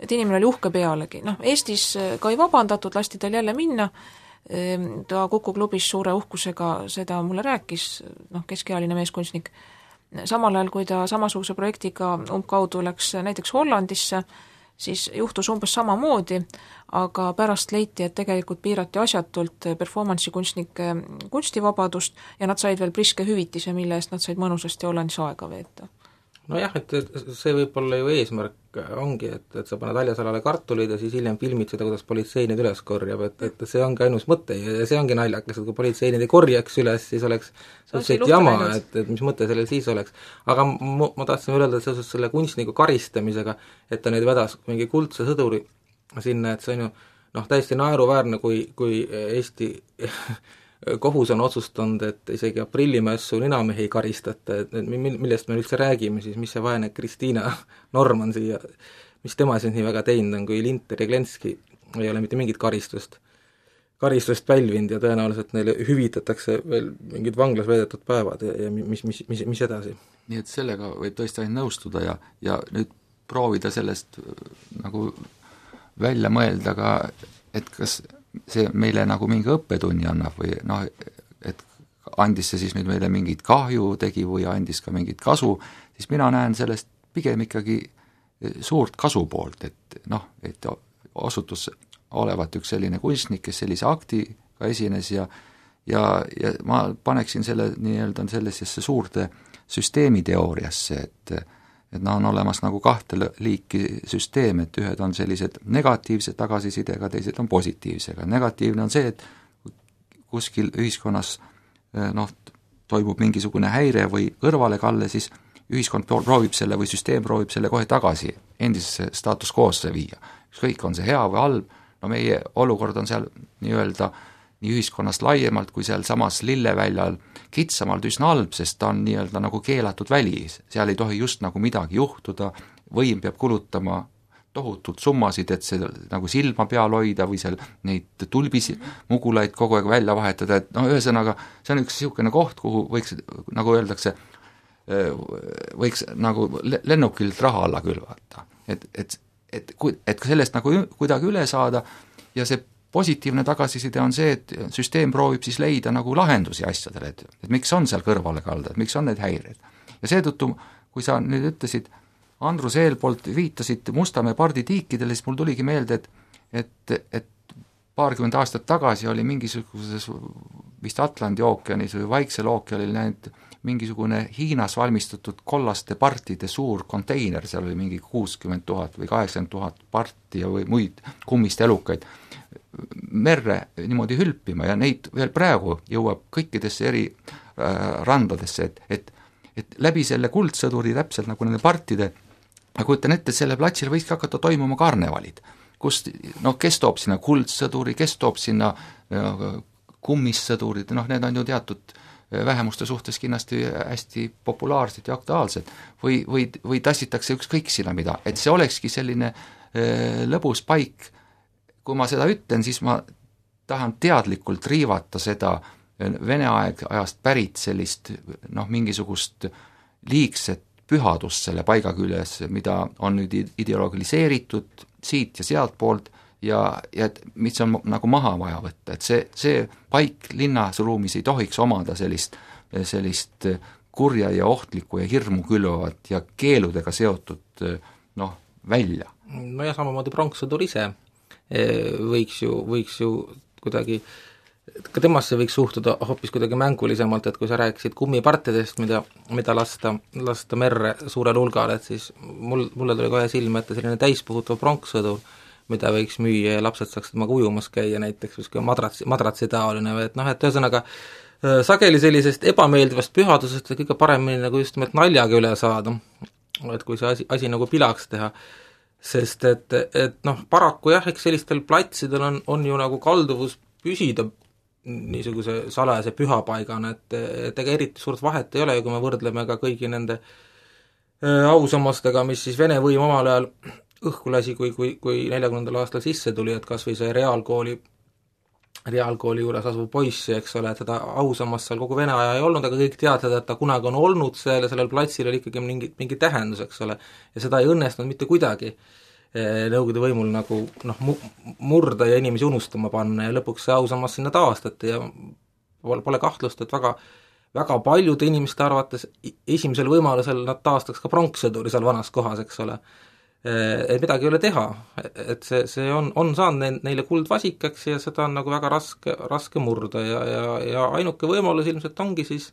Et inimene oli uhke pealegi. Noh, Eestis ka ei vabandatud, lasti tal jälle minna, ta Kuku klubis suure uhkusega seda mulle rääkis, noh, keskealine meeskunstnik. Samal ajal, kui ta samasuguse projektiga umbkaudu läks näiteks Hollandisse, siis juhtus umbes samamoodi, aga pärast leiti, et tegelikult piirati asjatult performance'i kunstnike kunstivabadust ja nad said veel priske hüvitise, mille eest nad said mõnusasti Hollandis aega veeta. No jah, et see võib olla ju eesmärk ongi, et, et sa paned aljasalale kartulid ja siis hiljem filmid seda, kuidas politsei neid üles korjab, et, et see ongi ainus mõte ja see ongi naljakas, et kui politsei neid ei korjaks üles, siis oleks suhteliselt jama, et, et mis mõte sellel siis oleks. Aga ma, ma tahtsin öelda, et seoses selle kunstniku karistamisega, et ta neid vedas mingi kuldse sõduri sinna, et see on ju noh, täiesti naeruväärne, kui, kui Eesti kohus on otsustanud, et isegi aprillimässu ninamehi ei karistata, et millest me üldse räägime, siis mis see vaene Kristiina Norman siia, mis tema siis nii väga teinud on, kui Linter ja Glenski ei ole mitte mingit karistust, karistust pälvinud ja tõenäoliselt neile hüvitatakse veel mingid vanglas veedetud päevad ja, ja mis, mis, mis, mis edasi. Nii et sellega võib tõesti ainult nõustuda ja, ja nüüd proovida sellest nagu välja mõelda ka, et kas see meile nagu mingi õppetunni annab või noh, et andis see siis nüüd meile mingit kahju tegi või andis ka mingit kasu, siis mina näen sellest pigem ikkagi suurt kasu poolt, et noh, et osutus olevat üks selline kunstnik, kes sellise aktiga esines ja ja, ja ma paneksin selle nii-öelda sellisesse suurde süsteemiteooriasse, et et nad on olemas nagu kahte liiki süsteem, et ühed on sellised negatiivse tagasisidega, teised on positiivsega. Negatiivne on see, et kuskil ühiskonnas noh, toimub mingisugune häire või kõrvalekalle, siis ühiskond proovib selle või süsteem proovib selle kohe tagasi endisesse status quo'sse viia. Ükskõik, on see hea või halb, no meie olukord on seal nii-öelda nii ühiskonnast laiemalt kui seal samas lilleväljal kitsamalt üsna halb, sest ta on nii-öelda nagu keelatud väli, seal ei tohi just nagu midagi juhtuda, võim peab kulutama tohutult summasid, et see nagu silma peal hoida või seal neid tulbisi mugulaid kogu aeg välja vahetada, et no ühesõnaga see on üks niisugune koht, kuhu võiks, nagu öeldakse, võiks nagu lennukilt raha alla külvata. Et, et, et, et sellest nagu kuidagi üle saada ja see positiivne tagasiside on see, et süsteem proovib siis leida nagu lahendusi asjadele, et, et miks on seal kõrvale kalda, et miks on need häired. Ja seetõttu, kui sa nüüd ütlesid, Andrus eelpoolt viitasid Mustamäe parditiikidele, siis mul tuligi meelde, et, et, et paarkümmend aastat tagasi oli mingisuguses vist Atlandi ookeanis või Vaiksel ookeanil näinud mingisugune Hiinas valmistatud kollaste partide suur konteiner, seal oli mingi kuuskümmend tuhat või kaheksakümmend tuhat parti ja või muid kummist elukaid merre niimoodi hülpima ja neid veel praegu jõuab kõikidesse eri äh, randadesse, et, et, et läbi selle kuldsõduri täpselt nagu nende partide, ma kujutan ette, et selle platsil võiski hakata toimuma karnevalid, kus noh, kes toob sinna kuldsõduri, kes toob sinna no, kummissõdurid, noh, need on ju teatud vähemuste suhtes kindlasti hästi populaarsed ja aktuaalsed või, või, või tassitakse ükskõik sinna mida, et see olekski selline äh, lõbus paik. Kui ma seda ütlen, siis ma tahan teadlikult riivata seda Vene aeg, ajast pärit sellist noh, mingisugust liigset pühadust selle paiga küljes, mida on nüüd ideoloogiliseeritud siit ja sealt poolt ja, ja et mis on nagu maha vaja võtta, et see, see paik linnas ruumis ei tohiks omada sellist, sellist kurja ja ohtlikku ja hirmu külvavat ja keeludega seotud noh, välja. No ja samamoodi pronkssõdur ise võiks ju, võiks ju kuidagi, ka temasse võiks suhtuda hoopis kuidagi mängulisemalt, et kui sa rääkisid kummipartidest, mida, mida lasta, lasta merre suurel hulgal, et siis mul, mulle tuli kohe silma ette selline täispuhutav pronkssõdur, mida võiks müüa ja lapsed saaks temaga ujumas käia näiteks, või madratsi, madratsi taoline või et noh, et ühesõnaga sageli sellisest ebameeldivast pühadusest kõige paremini nagu just nimelt naljaga üle saada, et kui see asi, asi nagu pilaks teha, sest et, et noh, paraku jah, eks sellistel platsidel on, on ju nagu kalduvus püsida niisuguse salajase pühapaigana, et, et ega eriti suurt vahet ei ole, kui me võrdleme ka kõigi nende äh, ausammastega, mis siis Vene võim omal ajal õhku lasi, kui, kui, kui neljakümnendal aastal sisse tuli, et kas või see reaalkooli, reaalkooli juures asuv poissi, eks ole, et seda ausammast seal kogu Vene aja ei olnud, aga kõik teadsid, et ta kunagi on olnud seal ja sellel platsil oli ikkagi mingi, mingi tähendus, eks ole, ja seda ei õnnestunud mitte kuidagi Nõukogude võimul nagu noh, murda ja inimesi unustama panna ja lõpuks see ausammas sinna taastati ja pole, pole kahtlust, et väga, väga paljude inimeste arvates esimesel võimalusel nad taastaks ka pronkssõduri seal vanas kohas, eks ole. Et midagi ei ole teha, et see, see on, on saanud neile kuldvasikaks ja seda on nagu väga raske, raske murda ja, ja, ja ainuke võimalus ilmselt ongi siis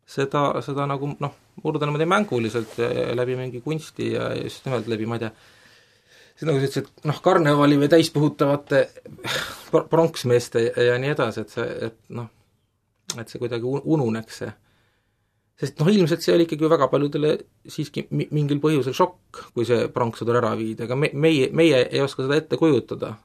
seda, seda nagu noh, murda niimoodi mänguliselt ja, ja läbi mingi kunsti ja just nimelt läbi, ma ei tea, see nagu sa ütlesid, noh, karnevali või täispuhutavate pronksmeeste ja, ja nii edasi, et see, et noh, et see kuidagi ununeks see. Sest noh, ilmselt see oli ikkagi väga paljudele siiski mingil põhjusel šokk, kui see pronkssõdur ära viidi, aga me, meie, meie ei oska seda ette kujutada,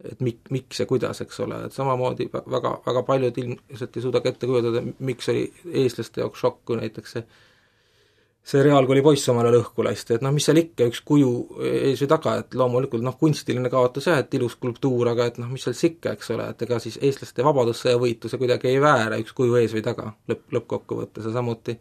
et mik, miks ja kuidas, eks ole, et samamoodi väga, väga paljud ilmselt ei suuda ette kujutada, miks oli eestlaste jaoks šokk, kui näiteks see see reaalkooli poiss omale lõhku lasti, et noh, mis seal ikka üks kuju ees või taga, et loomulikult noh, kunstiline kaotus jah, et ilus skulptuur, aga et noh, mis seal sikka, eks ole, et ega siis eestlaste vabadussõja võitluse kuidagi ei väära üks kuju ees või taga lõpp, lõppkokkuvõttes ja samuti,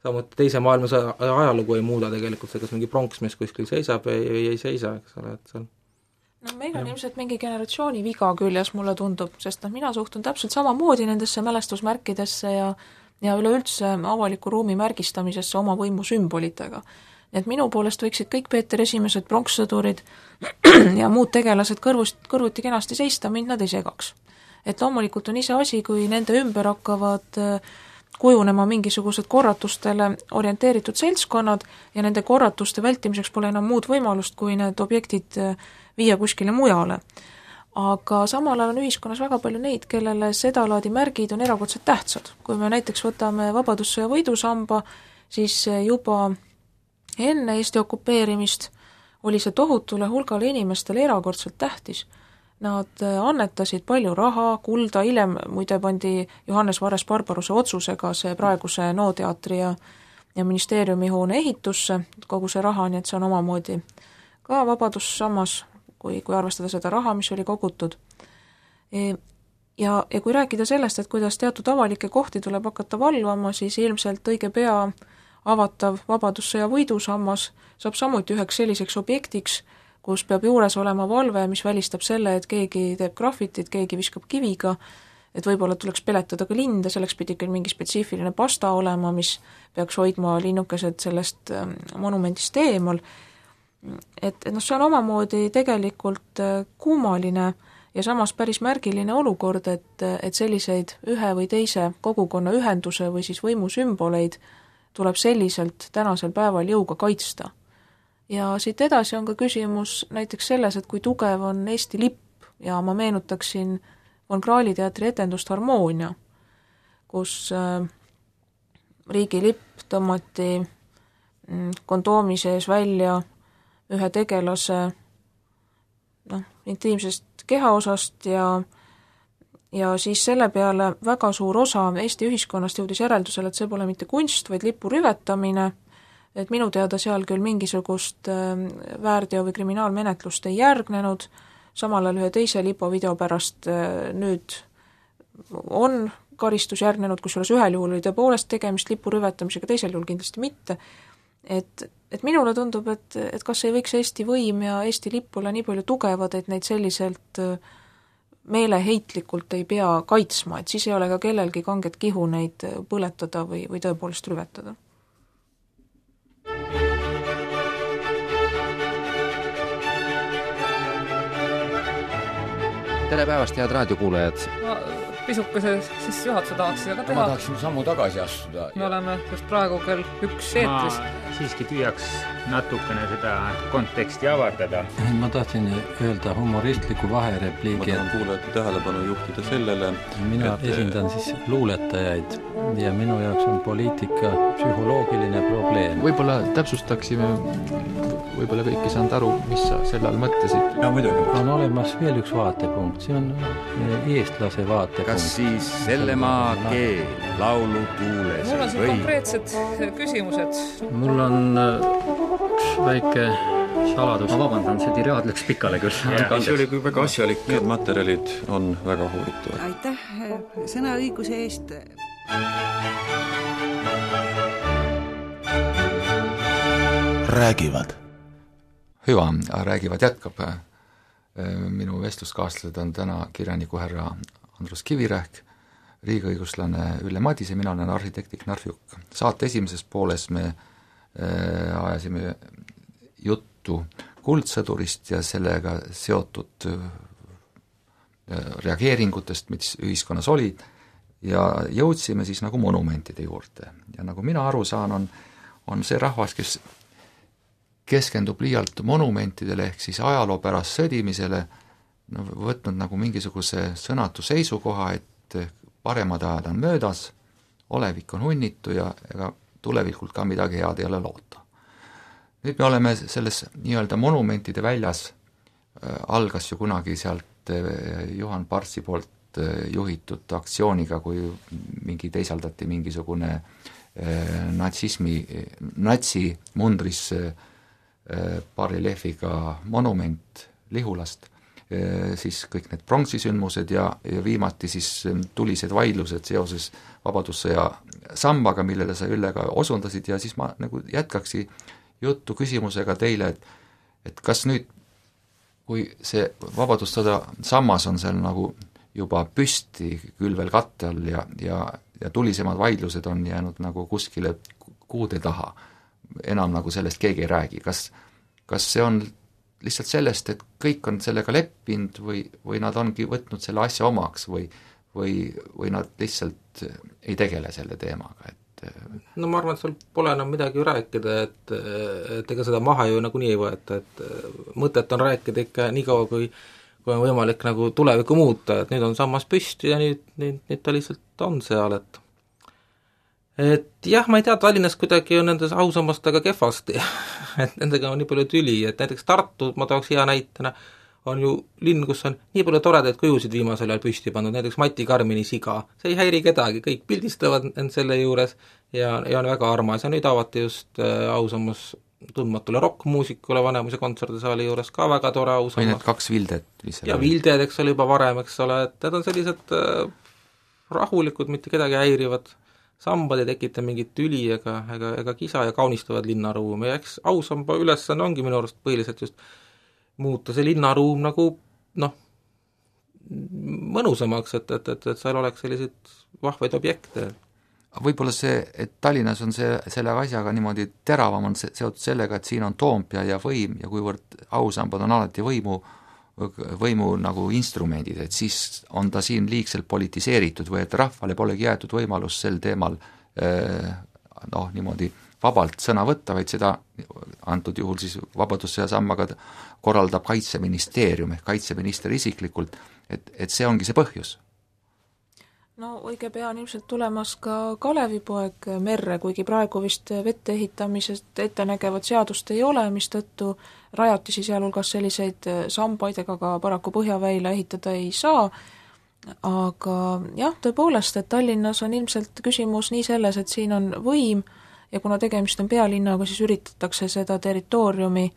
samuti teise maailmasõja ajalugu ei muuda tegelikult see, kas mingi pronksmees kuskil seisab või ei, ei seisa, eks ole, et seal no meil on ja. ilmselt mingi generatsiooni viga küljes, mulle tundub, sest noh, mina suhtun täpselt samamoodi nendesse mälestusmärkidesse ja ja üleüldse avaliku ruumi märgistamisesse oma võimu sümbolitega. Nii et minu poolest võiksid kõik Peeter esimesed pronkssõdurid ja muud tegelased kõrvust, kõrvuti kenasti seista, mind nad ei segaks. Et loomulikult on ise asi, kui nende ümber hakkavad kujunema mingisugused korratustele orienteeritud seltskonnad ja nende korratuste vältimiseks pole enam muud võimalust, kui need objektid viia kuskile mujale. aga samal ajal on ühiskonnas väga palju neid, kellele sedalaadi märgid on erakordselt tähtsad. Kui me näiteks võtame Vabadussõja võidusamba, siis juba enne Eesti okupeerimist oli see tohutule hulgale inimestele erakordselt tähtis. Nad annetasid palju raha, kulda, hiljem muide pandi Johannes Vares-Barbaruse otsusega see praeguse NO-teatri ja, ja ministeeriumi hoone ehitusse, kogu see raha, nii et see on omamoodi ka vabadussammas, kui, kui arvestada seda raha, mis oli kogutud. Ja, ja kui rääkida sellest, et kuidas teatud avalikke kohti tuleb hakata valvama, siis ilmselt õige pea avatav Vabadussõja võidusammas saab samuti üheks selliseks objektiks, kus peab juures olema valve, mis välistab selle, et keegi teeb grafitit, keegi viskab kiviga, et võib-olla tuleks peletada ka linde, selleks pidi ikka mingi spetsiifiline pasta olema, mis peaks hoidma linnukesed sellest monumendist eemal. Et, et noh, see on omamoodi tegelikult kummaline ja samas päris märgiline olukord, et, et selliseid ühe või teise kogukonna ühenduse või siis võimusümboleid tuleb selliselt tänasel päeval jõuga kaitsta. Ja siit edasi on ka küsimus näiteks selles, et kui tugev on Eesti lipp ja ma meenutaksin Von Krahli teatri etendust Harmoonia, kus äh, riigi lipp tõmmati mm, kondoomi sees välja ühe tegelase noh, intiimsest kehaosast ja, ja siis selle peale väga suur osa Eesti ühiskonnast jõudis järeldusele, et see pole mitte kunst, vaid lipu rüvetamine, et minu teada seal küll mingisugust väärteo või kriminaalmenetlust ei järgnenud, samal ajal ühe teise lipovideo pärast nüüd on karistus järgnenud, kusjuures ühel juhul oli tõepoolest tegemist lipu rüvetamisega, teisel juhul kindlasti mitte. Et, et minule tundub, et, et kas ei võiks Eesti võim ja Eesti lipp olla nii palju tugevad, et neid selliselt meeleheitlikult ei pea kaitsma, et siis ei ole ka kellelgi kanget kihu neid põletada või, või tõepoolest rüvetada. Tere päevast, head raadiokuulajad! Ma pisukese siis juhatuse tahaksin aga teha. Ma tahaksin sammu tagasi astuda. Me oleme just praegu kell üks eetris. Ma siiski tüüaks natukene seda konteksti avardada. Ma tahtsin öelda humoristliku vaherepliigi. Ma tahan kuulajate tähelepanu juhtida sellele. Mina et... esindan siis luuletajaid ja minu jaoks on poliitika psühholoogiline probleem. Võib-olla täpsustaksime, võib-olla kõik ei saanud aru, mis sa selle all mõtlesid. Ja, muidugi. On olemas veel üks vaatepunkt, see on eestlase vaatepunkt. Kas siis selle maa keel laulu tuules mul on siin või? Konkreetsed küsimused. Mul on üks väike saladus. Ma vabandan, see tiraad läks pikale küll. See oli kui väga asjalik. Need materjalid on väga huvitavad. Aitäh sõnaõiguse eest. Räägivad. Hüva, räägivad jätkab. Minu vestluskaaslased on täna kirjaniku härra Andrus Kivirähk, riigiõiguslane Ülle Madise, mina olen arhitekti Knarf Jukk. Saate esimeses pooles me äh, ajasime juttu kuldsõdurist ja sellega seotud äh, reageeringutest, mis ühiskonnas olid, ja jõudsime siis nagu monumentide juurde. Ja nagu mina aru saan, on, on see rahvas, kes keskendub liialt monumentidele ehk siis ajaloo pärast sõdimisele, no, võtnud nagu mingisuguse sõnatu seisukoha, et paremad ajad on möödas, olevik on hunnitu ja ega tulevikult ka midagi head ei ole loota. Nüüd me oleme selles nii-öelda monumentide väljas, äh, algas ju kunagi sealt äh, Juhan Partsi poolt äh, juhitud aktsiooniga, kui mingi teisaldati mingisugune äh, natsismi, natsi mundris äh, bareljeefiga monument Lihulast, siis kõik need pronksisündmused ja, ja viimati siis tulised vaidlused seoses Vabadussõja sambaga, millele sa Ülle ka osundasid, ja siis ma nagu jätkaksi juttu küsimusega teile, et, et kas nüüd, kui see Vabadussõda sammas on seal nagu juba püsti küll veel katte all ja, ja, ja tulisemad vaidlused on jäänud nagu kuskile kuude taha, enam nagu sellest keegi ei räägi, kas, kas see on lihtsalt sellest, et kõik on sellega leppinud või, või nad ongi võtnud selle asja omaks või, või, või nad lihtsalt ei tegele selle teemaga, et no ma arvan, et seal pole enam midagi ju rääkida, et, et ega seda maha ju nagunii ei võeta, et mõtet on rääkida ikka nii kaua, kui, kui on võimalik nagu tulevikku muuta, et nüüd on sammas püsti ja nüüd, nüüd, nüüd ta lihtsalt on seal, et et jah, ma ei tea, Tallinnas kuidagi on nendes ausammastega kehvasti et nendega on nii palju tüli, et näiteks Tartu, ma tooks hea näitena, on ju linn, kus on nii palju toredaid kujusid viimasel ajal püsti pandud, näiteks Mati Karmini siga, see ei häiri kedagi, kõik pildistavad end selle juures ja, ja on väga armas ja nüüd avati just äh, ausammas tundmatule rokkmuusikule Vanemuise kontserdisaali juures ka väga tore ausammas. või need kaks Vildet, mis ja Vilded, eks ole, juba varem, eks ole, et need on sellised äh, rahulikud, mitte kedagi häirivad sambad ei tekita mingit tüli ega, ega, ega kisa ja kaunistavad linnaruumi ja eks ausamba ülesanne ongi minu arust põhiliselt just muuta see linnaruum nagu noh, mõnusamaks, et, et, et, et seal oleks selliseid vahvaid objekte. Võib-olla see, et Tallinnas on see, selle asjaga niimoodi teravam on see, seotud sellega, et siin on Toompea ja võim ja kuivõrd ausambad on alati võimu võimu nagu instrumendid, et siis on ta siin liigselt politiseeritud või et rahvale polegi jäetud võimalus sel teemal noh, niimoodi vabalt sõna võtta, vaid seda antud juhul siis Vabadussõja sammaga korraldab Kaitseministeerium ehk kaitseminister isiklikult, et, et see ongi see põhjus. No õige pea on ilmselt tulemas ka Kalevipoeg merre, kuigi praegu vist vette ehitamisest ette nägevat seadust ei ole, mis tõttu rajatisi sealhulgas selliseid sambaid ega ka paraku põhjaväila ehitada ei saa, aga jah, tõepoolest, et Tallinnas on ilmselt küsimus nii selles, et siin on võim ja kuna tegemist on pealinnaga, siis üritatakse seda territooriumi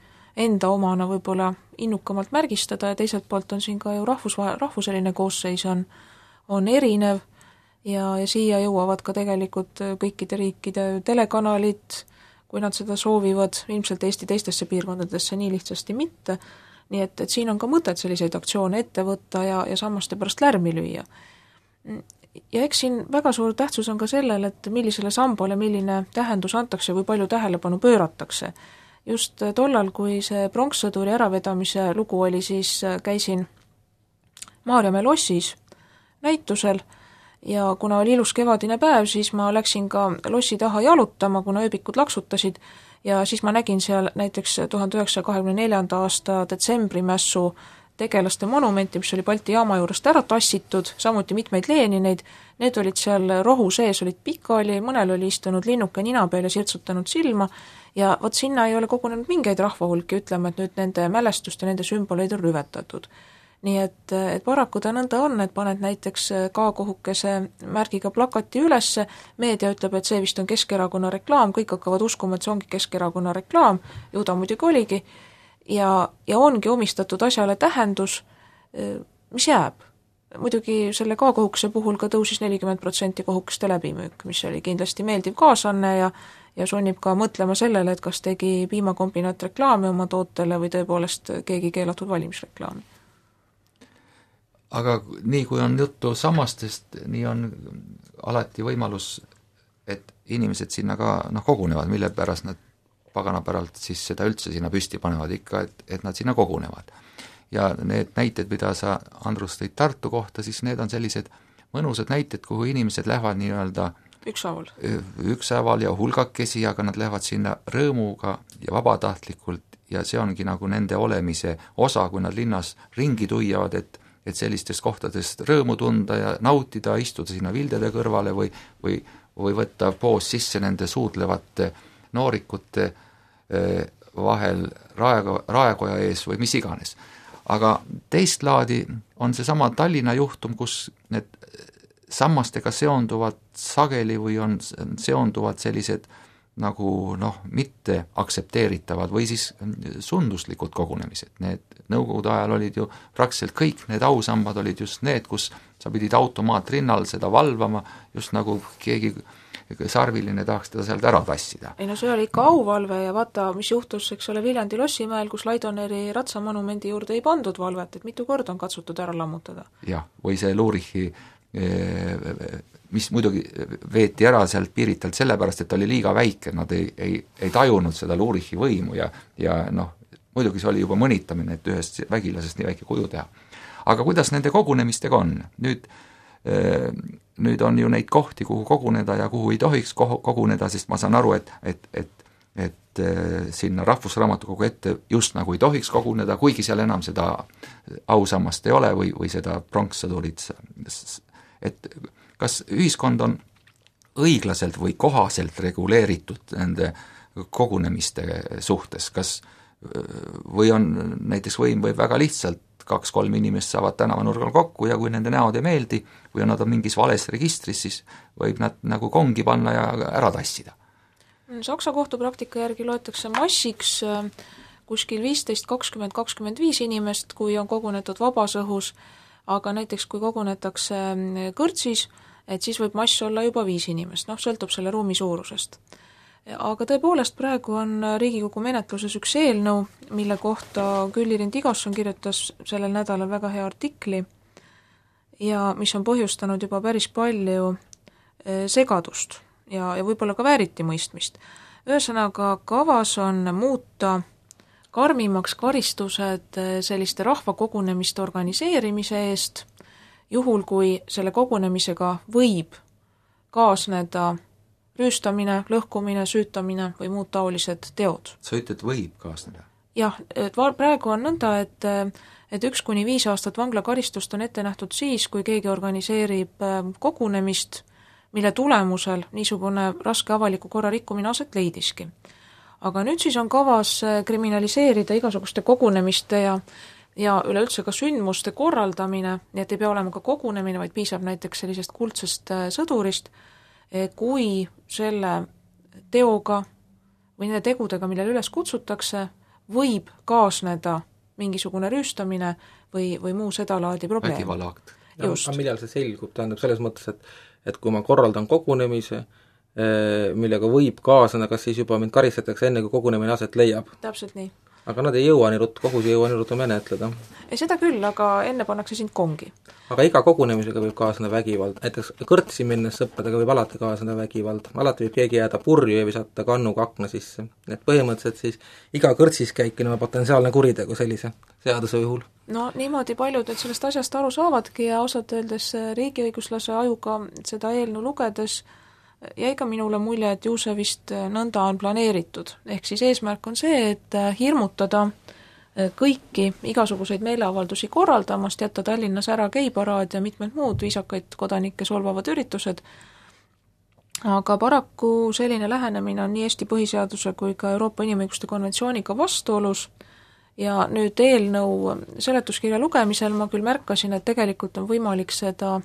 enda omana võib-olla innukamalt märgistada ja teiselt poolt on siin ka ju rahvus, rahvuseline koosseis on, on erinev ja, ja siia jõuavad ka tegelikult kõikide riikide telekanalid, kui nad seda soovivad, ilmselt Eesti teistesse piirkondadesse nii lihtsasti mitte, nii et, et siin on ka mõtet selliseid aktsioone ette võtta ja, ja sammaste pärast lärmi lüüa. Ja eks siin väga suur tähtsus on ka sellel, et millisele sambale milline tähendus antakse või palju tähelepanu pööratakse. Just tollal, kui see pronkssõduri äravedamise lugu oli, siis käisin Maarjamäe lossis näitusel ja kuna oli ilus kevadine päev, siis ma läksin ka lossi taha jalutama, kuna ööbikud laksutasid ja siis ma nägin seal näiteks tuhande üheksasaja kahekümne neljanda aasta detsembrimässu tegelaste monumenti, mis oli Balti jaama juurest ära tassitud, samuti mitmeid Lenineid, need olid seal rohu sees, olid pikali, mõnel oli istunud linnuke nina peal ja sirtsutanud silma ja vot sinna ei ole kogunenud mingeid rahvahulki ütlema, et nüüd nende mälestust ja nende sümboleid on rüvetatud. Nii et, et paraku ta nõnda on, et paned näiteks K-kohukese märgiga plakati ülesse, meedia ütleb, et see vist on Keskerakonna reklaam, kõik hakkavad uskuma, et see ongi Keskerakonna reklaam, ju ta muidugi oligi, ja, ja ongi omistatud asjale tähendus, mis jääb. Muidugi selle K-kohukese puhul ka tõusis nelikümmend protsenti kohukeste läbimüük, mis oli kindlasti meeldiv kaasanne ja, ja sunnib ka mõtlema sellele, et kas tegi piimakombinaat reklaami oma tootele või tõepoolest keegi keelatud valimisreklaami. Aga nii kui on juttu sammastest, nii on alati võimalus, et inimesed sinna ka noh, kogunevad, mille pärast nad paganapäralt siis seda üldse sinna püsti panevad ikka, et, et nad sinna kogunevad. Ja need näited, mida sa, Andrus, tõid Tartu kohta, siis need on sellised mõnusad näited, kuhu inimesed lähevad nii-öelda ükshaaval. ükshaaval ja hulgakesi, aga nad lähevad sinna rõõmuga ja vabatahtlikult ja see ongi nagu nende olemise osa, kui nad linnas ringi tuiavad, et et sellistest kohtadest rõõmu tunda ja nautida, istuda sinna vildede kõrvale või, või, või võtta poos sisse nende suudlevate noorikute vahel raego, raekoja ees või mis iganes. Aga teist laadi on seesama Tallinna juhtum, kus need sammastega seonduvad sageli või on seonduvad sellised nagu noh, mitte aktsepteeritavad või siis sunduslikud kogunemised. Need nõukogude ajal olid ju praktiliselt kõik need ausambad olid just need, kus sa pidid automaatrinnal seda valvama, just nagu keegi sarviline tahaks teda sealt ära tassida. Ei no see oli ikka auvalve ja vaata, mis juhtus, eks ole, Viljandi Lossimäel, kus Laidoneri ratsamonumendi juurde ei pandud valvet, et mitu korda on katsutud ära lammutada. Jah, või see Luurichi mis muidugi veeti ära sealt piiritalt sellepärast, et oli liiga väike, nad ei, ei, ei tajunud seda Luurichi võimu ja, ja noh, muidugi see oli juba mõnitamine, et ühest vägilasest nii väike kuju teha. Aga kuidas nende kogunemistega on? Nüüd, nüüd on ju neid kohti, kuhu koguneda ja kuhu ei tohiks koguneda, sest ma saan aru, et, et, et et sinna Rahvusraamatukogu ette just nagu ei tohiks koguneda, kuigi seal enam seda ausammast ei ole või, või seda pronkssõdurit, et kas ühiskond on õiglaselt või kohaselt reguleeritud nende kogunemiste suhtes, kas või on näiteks võim võib väga lihtsalt kaks-kolm inimest saavad tänavanurgal kokku ja kui nende näod ei meeldi või nad on mingis vales registris, siis võib nad nagu kongi panna ja ära tassida. Saksa kohtupraktika järgi loetakse massiks kuskil viisteist, kakskümmend, kakskümmend viis inimest, kui on kogunetud vabas õhus, aga näiteks kui kogunetakse kõrtsis, et siis võib mass olla juba viis inimest, noh, sõltub selle ruumi suurusest. Aga tõepoolest praegu on Riigikogu menetluses üks eelnõu, mille kohta Külli-Rind Igasson kirjutas sellel nädalal väga hea artikli ja mis on põhjustanud juba päris palju segadust ja, ja võib-olla ka vääriti mõistmist. Ühesõnaga, kavas on muuta karmimaks karistused selliste rahvakogunemiste organiseerimise eest, juhul kui selle kogunemisega võib kaasneda rüüstamine, lõhkumine, süütamine või muud taolised teod. Sa ütled, võib kaasneda? Jah, et praegu on nõnda, et, et üks kuni viis aastat vanglakaristust on ette nähtud siis, kui keegi organiseerib kogunemist, mille tulemusel niisugune raske avaliku korra rikkumine aset leidiski. Aga nüüd siis on kavas kriminaliseerida igasuguste kogunemiste ja ja üleüldse ka sündmuste korraldamine, nii et ei pea olema ka kogunemine, vaid piisab näiteks sellisest kuldsest sõdurist, kui selle teoga või nende tegudega, millele üles kutsutakse, võib kaasneda mingisugune rüüstamine või, või muu sedalaadi probleem. Vägivallaakt. Aga millal see selgub, tähendab selles mõttes, et, et kui ma korraldan kogunemise, millega võib kaasneda, kas siis juba mind karistatakse enne, kui kogunemine aset leiab? Täpselt nii. Aga nad ei jõua nii ruttu, kohus ei jõua nii ruttu menetleda. Ei, seda küll, aga enne pannakse sind kongi. Aga iga kogunemisega võib kaasneda vägivald. Näiteks kõrtsi minnes sõppedega võib alati kaasneda vägivald. Alati võib keegi jääda purju ja visata kannuga akna sisse. Et põhimõtteliselt siis iga kõrtsis käikine on potentsiaalne kuritegu sellise seaduse juhul. No niimoodi paljud, et sellest asjast aru saavadki ja osad öeldes riigiõiguslase ajuga seda eelnõu lugedes jäi ka minule mulje, et ju see vist nõnda on planeeritud. Ehk siis eesmärk on see, et hirmutada kõiki igasuguseid meeleavaldusi korraldamast, jätta Tallinnas ära geiparaad ja mitmed muud viisakaid kodanikke solvavad üritused. Aga paraku selline lähenemine on nii Eesti põhiseaduse kui ka Euroopa Inimõiguste konventsiooniga vastuolus ja nüüd eelnõu seletuskirja lugemisel ma küll märkasin, et tegelikult on võimalik seda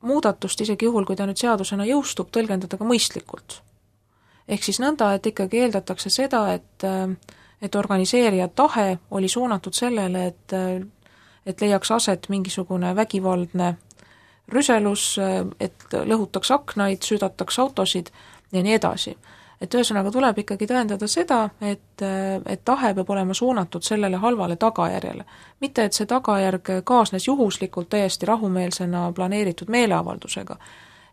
muudatust isegi juhul, kui ta nüüd seadusena jõustub, tõlgendada ka mõistlikult. Ehk siis nõnda, et ikkagi eeldatakse seda, et, et organiseerija tahe oli suunatud sellele, et, et leiaks aset mingisugune vägivaldne rüselus, et lõhutaks aknaid, süüdataks autosid ja nii edasi. Et ühesõnaga tuleb ikkagi tõendada seda, et, et tahe peab olema suunatud sellele halvale tagajärjele. Mitte, et see tagajärg kaasnes juhuslikult täiesti rahumeelsena planeeritud meeleavaldusega.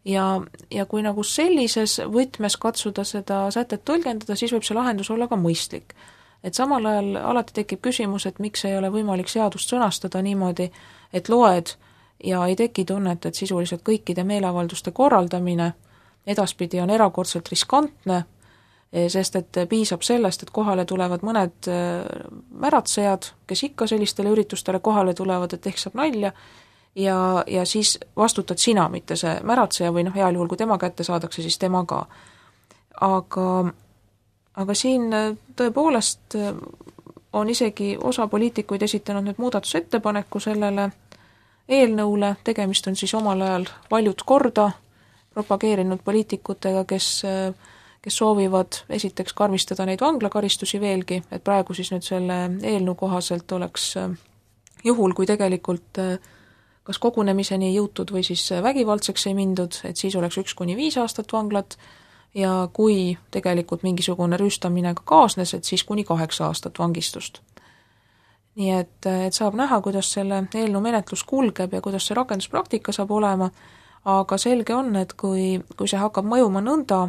Ja, ja kui nagu sellises võtmes katsuda seda sätet tõlgendada, siis võib see lahendus olla ka mõistlik. Et samal ajal alati tekib küsimus, et miks ei ole võimalik seadust sõnastada niimoodi, et loed ja ei teki tunnet, et sisuliselt kõikide meeleavalduste korraldamine edaspidi on erakordselt riskantne, sest et piisab sellest, et kohale tulevad mõned märatsejad, kes ikka sellistele üritustele kohale tulevad, et ehk saab nalja, ja, ja siis vastutad sina, mitte see märatseja või noh, heal juhul, kui tema kätte saadakse, siis tema ka. Aga, aga siin tõepoolest on isegi osa poliitikuid esitanud nüüd muudatusettepaneku sellele eelnõule, tegemist on siis omal ajal paljud korda propageerinud poliitikutega, kes, kes soovivad esiteks karmistada neid vanglakaristusi veelgi, et praegu siis nüüd selle eelnõu kohaselt oleks juhul, kui tegelikult kas kogunemiseni ei jõutud või siis vägivaldseks ei mindud, et siis oleks üks kuni viis aastat vanglat ja kui tegelikult mingisugune rüüstamine ka kaasnes, et siis kuni kaheksa aastat vangistust. Nii et, et saab näha, kuidas selle eelnõu menetlus kulgeb ja kuidas see rakenduspraktika saab olema, aga selge on, et kui, kui see hakkab mõjuma nõnda,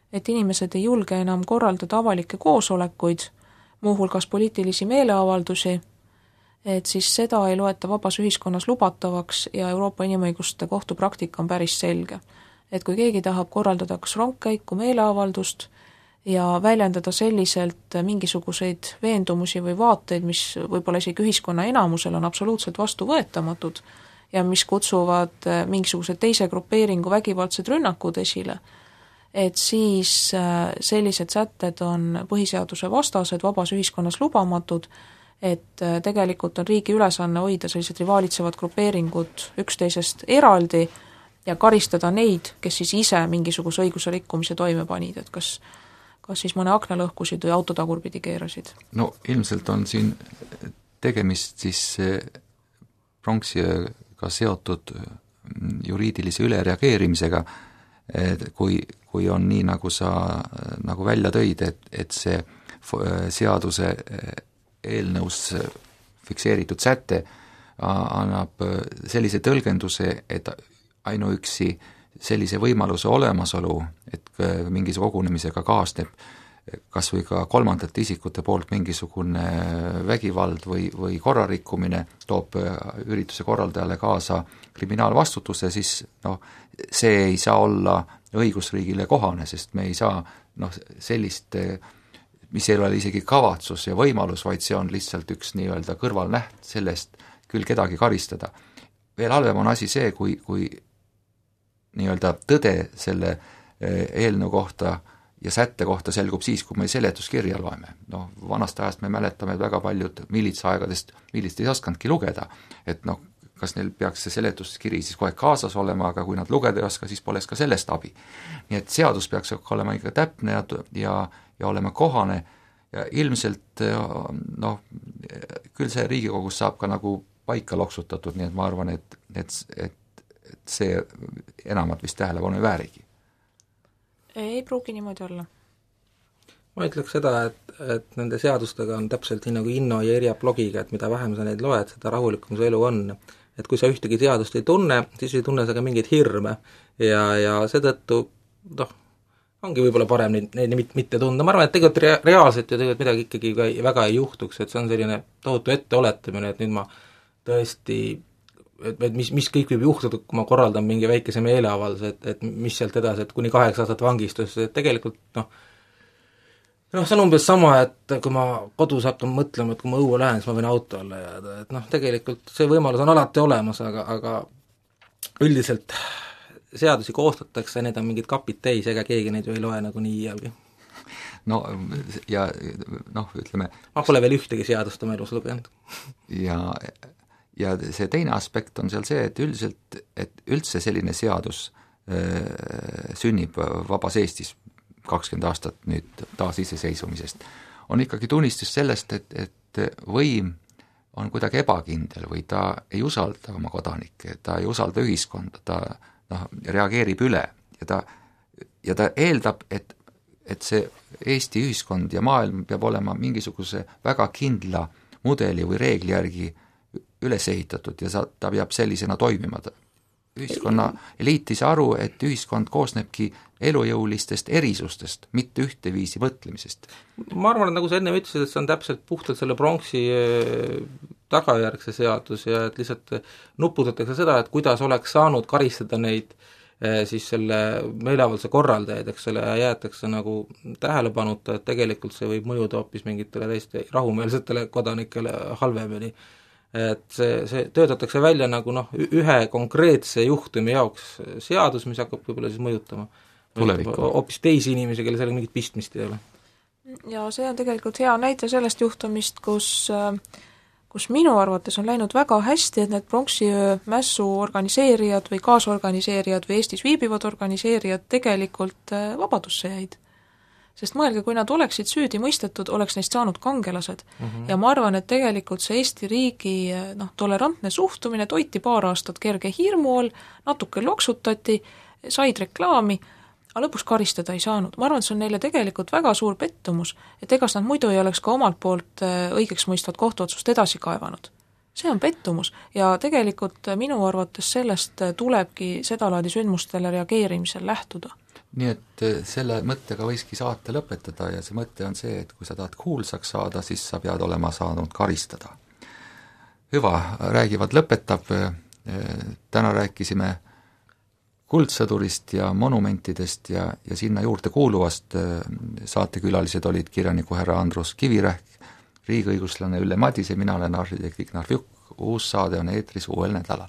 et inimesed ei julge enam korraldada avalikke koosolekuid, muuhulgas poliitilisi meeleavaldusi, et siis seda ei loeta vabas ühiskonnas lubatavaks ja Euroopa Inimõiguste Kohtu praktika on päris selge. Et kui keegi tahab korraldada kas rongkäiku, meeleavaldust, ja väljendada selliselt mingisuguseid veendumusi või vaateid, mis võib-olla isegi ühiskonna enamusel on absoluutselt vastuvõetamatud ja mis kutsuvad mingisuguse teise grupeeringu vägivaldsed rünnakud esile, et siis sellised sätted on põhiseaduse vastased, vabas ühiskonnas lubamatud, et tegelikult on riigi ülesanne hoida sellised rivaalitsevad grupeeringud üksteisest eraldi ja karistada neid, kes siis ise mingisuguse õiguse rikkumise toime panid, et kas, kas siis mõne akna lõhkusid või autotagurpidi keerasid. No ilmselt on siin tegemist siis pronksiööga seotud juriidilise ülereageerimisega, kui, kui on nii, nagu sa nagu välja tõid, et, et see seaduse eelnõus fikseeritud säte annab sellise tõlgenduse, et ainuüksi sellise võimaluse olemasolu, et mingise kogunemisega kaasneb kas või ka kolmandate isikute poolt mingisugune vägivald või, või korrarikkumine toob ürituse korraldajale kaasa kriminaalvastutuse, siis noh, see ei saa olla õigusriigile kohane, sest me ei saa noh, sellist, mis ei ole isegi kavatsus ja võimalus, vaid see on lihtsalt üks nii-öelda kõrvalnäht sellest küll kedagi karistada. Veel halvem on asi see, kui, kui nii-öelda tõde selle eelnõu kohta ja sätte kohta selgub siis, kui me seletuskirja loeme. No, vanast ajast me mäletame väga paljud militsaegadest, milist ei oskanudki lugeda, et noh, kas neil peaks see seletuskiri siis kohe kaasas olema, aga kui nad lugeda ei oska, siis poleks ka sellest abi. Nii et seadus peaks olema ikka täpne ja, ja, ja olema kohane ja ilmselt noh, küll see Riigikogus saab ka nagu paika loksutatud, nii et ma arvan, et, et, et, et see enamat vist tähelepanu ei väärigi. Ei pruugi niimoodi olla. Ma ütleks seda, et, et nende seadustega on täpselt nii nagu Inno ja Irja blogiga, et mida vähem sa neid loed, seda rahulikum su elu on. Et kui sa ühtegi seadust ei tunne, siis ei tunne sa ka mingeid hirme ja, ja seetõttu noh, ongi võib-olla parem neid, neid mitte tunda. Ma arvan, et tegelikult rea- reaalselt ja tegelikult midagi ikkagi väga ei juhtuks, et see on selline tohutu etteoletamine, et nüüd ma tõesti et, et mis, mis kõik võib juhtuda, kui ma korraldan mingi väikese meeleavalduse, et, et mis sealt edasi, et kuni kaheksa aastat vangistus, et tegelikult noh, noh, see on umbes sama, et kui ma kodus hakkan mõtlema, et kui ma õue lähen, siis ma võin auto alla jääda, et noh, tegelikult see võimalus on alati olemas, aga, aga üldiselt seadusi koostatakse, need on mingid kapid täis, ega keegi neid ju ei loe nagu nii iialgi. No ja noh, ütleme ma pole veel ühtegi seadust oma elus lugenud. ja Ja see teine aspekt on seal see, et üldiselt, et üldse selline seadus äh, sünnib vabas Eestis kakskümmend aastat nüüd taas iseseisvumisest, on ikkagi tunnistus sellest, et, et võim on kuidagi ebakindel või ta ei usalda oma kodanikke, ta ei usalda ühiskonda, ta noh, reageerib üle ja ta, ja ta eeldab, et, et see Eesti ühiskond ja maailm peab olema mingisuguse väga kindla mudeli või reegli järgi üles ehitatud ja sa, ta peab sellisena toimima. Ühiskonna eliit ei saa aru, et ühiskond koosnebki elujõulistest erisustest, mitte ühteviisi mõtlemisest. Ma arvan, et nagu sa enne ütlesid, et see on täpselt puhtalt selle pronksi tagajärgse seadus ja et lihtsalt nuputatakse seda, et kuidas oleks saanud karistada neid siis selle meeleavalduse korraldajaid, eks selle jäetakse nagu tähelepanuta, et tegelikult see võib mõjuda hoopis mingitele täiesti rahumeelsetele kodanikele halvemini. Et see, see töötatakse välja nagu noh, ühe konkreetse juhtumi jaoks seadus, mis hakkab võib-olla siis mõjutama hoopis teisi inimesi, kelle sellega mingit pistmist ei ole. Ja see on tegelikult hea näite sellest juhtumist, kus, kus minu arvates on läinud väga hästi, et need pronksiöö mässu organiseerijad või kaasorganiseerijad või Eestis viibivad organiseerijad tegelikult vabadusse jäid. Sest mõelge, kui nad oleksid süüdi mõistetud, oleks neist saanud kangelased. Mm-hmm. Ja ma arvan, et tegelikult see Eesti riigi noh, tolerantne suhtumine toiti paar aastat kerge hirmu all, natuke loksutati, said reklaami, aga lõpuks karistada ei saanud. Ma arvan, et see on neile tegelikult väga suur pettumus, et egas nad muidu ei oleks ka omalt poolt õigeks mõistvat kohtuotsust edasi kaevanud. See on pettumus ja tegelikult minu arvates sellest tulebki sedalaadi sündmustele reageerimisel lähtuda. Nii et selle mõttega võiski saate lõpetada ja see mõte on see, et kui sa tahad kuulsaks saada, siis sa pead olema saanud karistada. Hüva, räägivad lõpetab, täna rääkisime kuldsõdurist ja monumentidest ja, ja sinna juurde kuuluvast. Saatekülalised olid kirjaniku härra Andrus Kivirähk, riigiõiguslane Ülle Madise, mina olen arhitekt Ignar Fjuk. Uus saade on eetris uuel nädalal.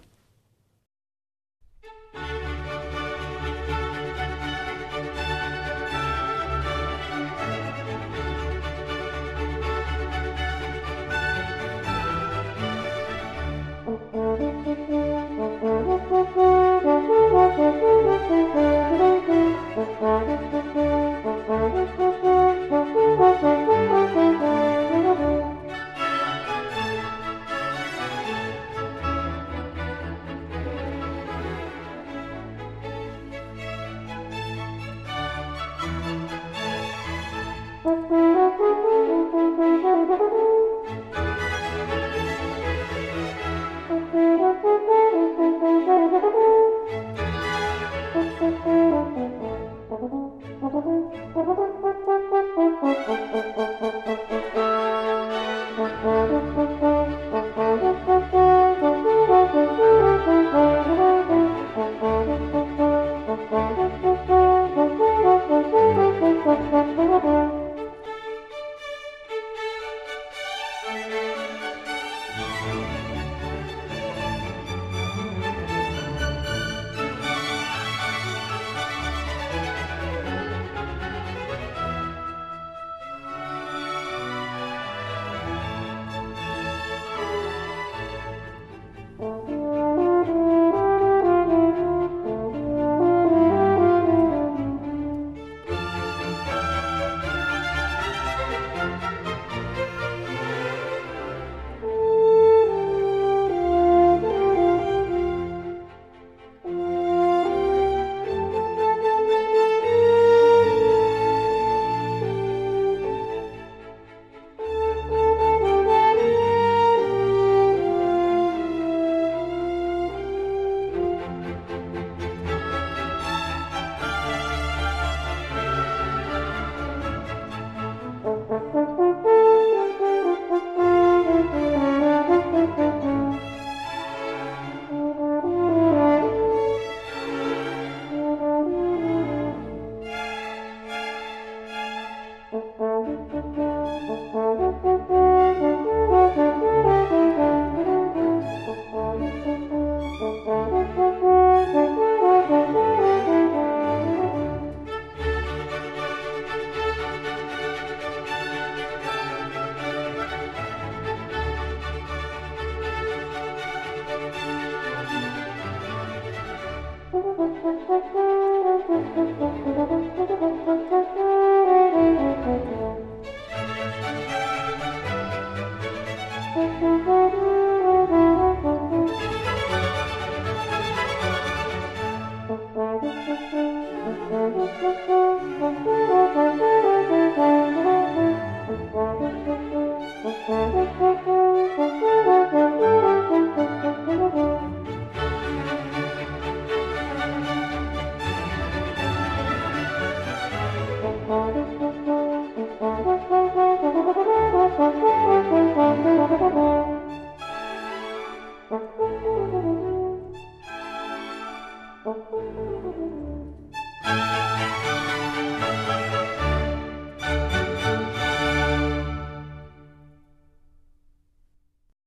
Thank you.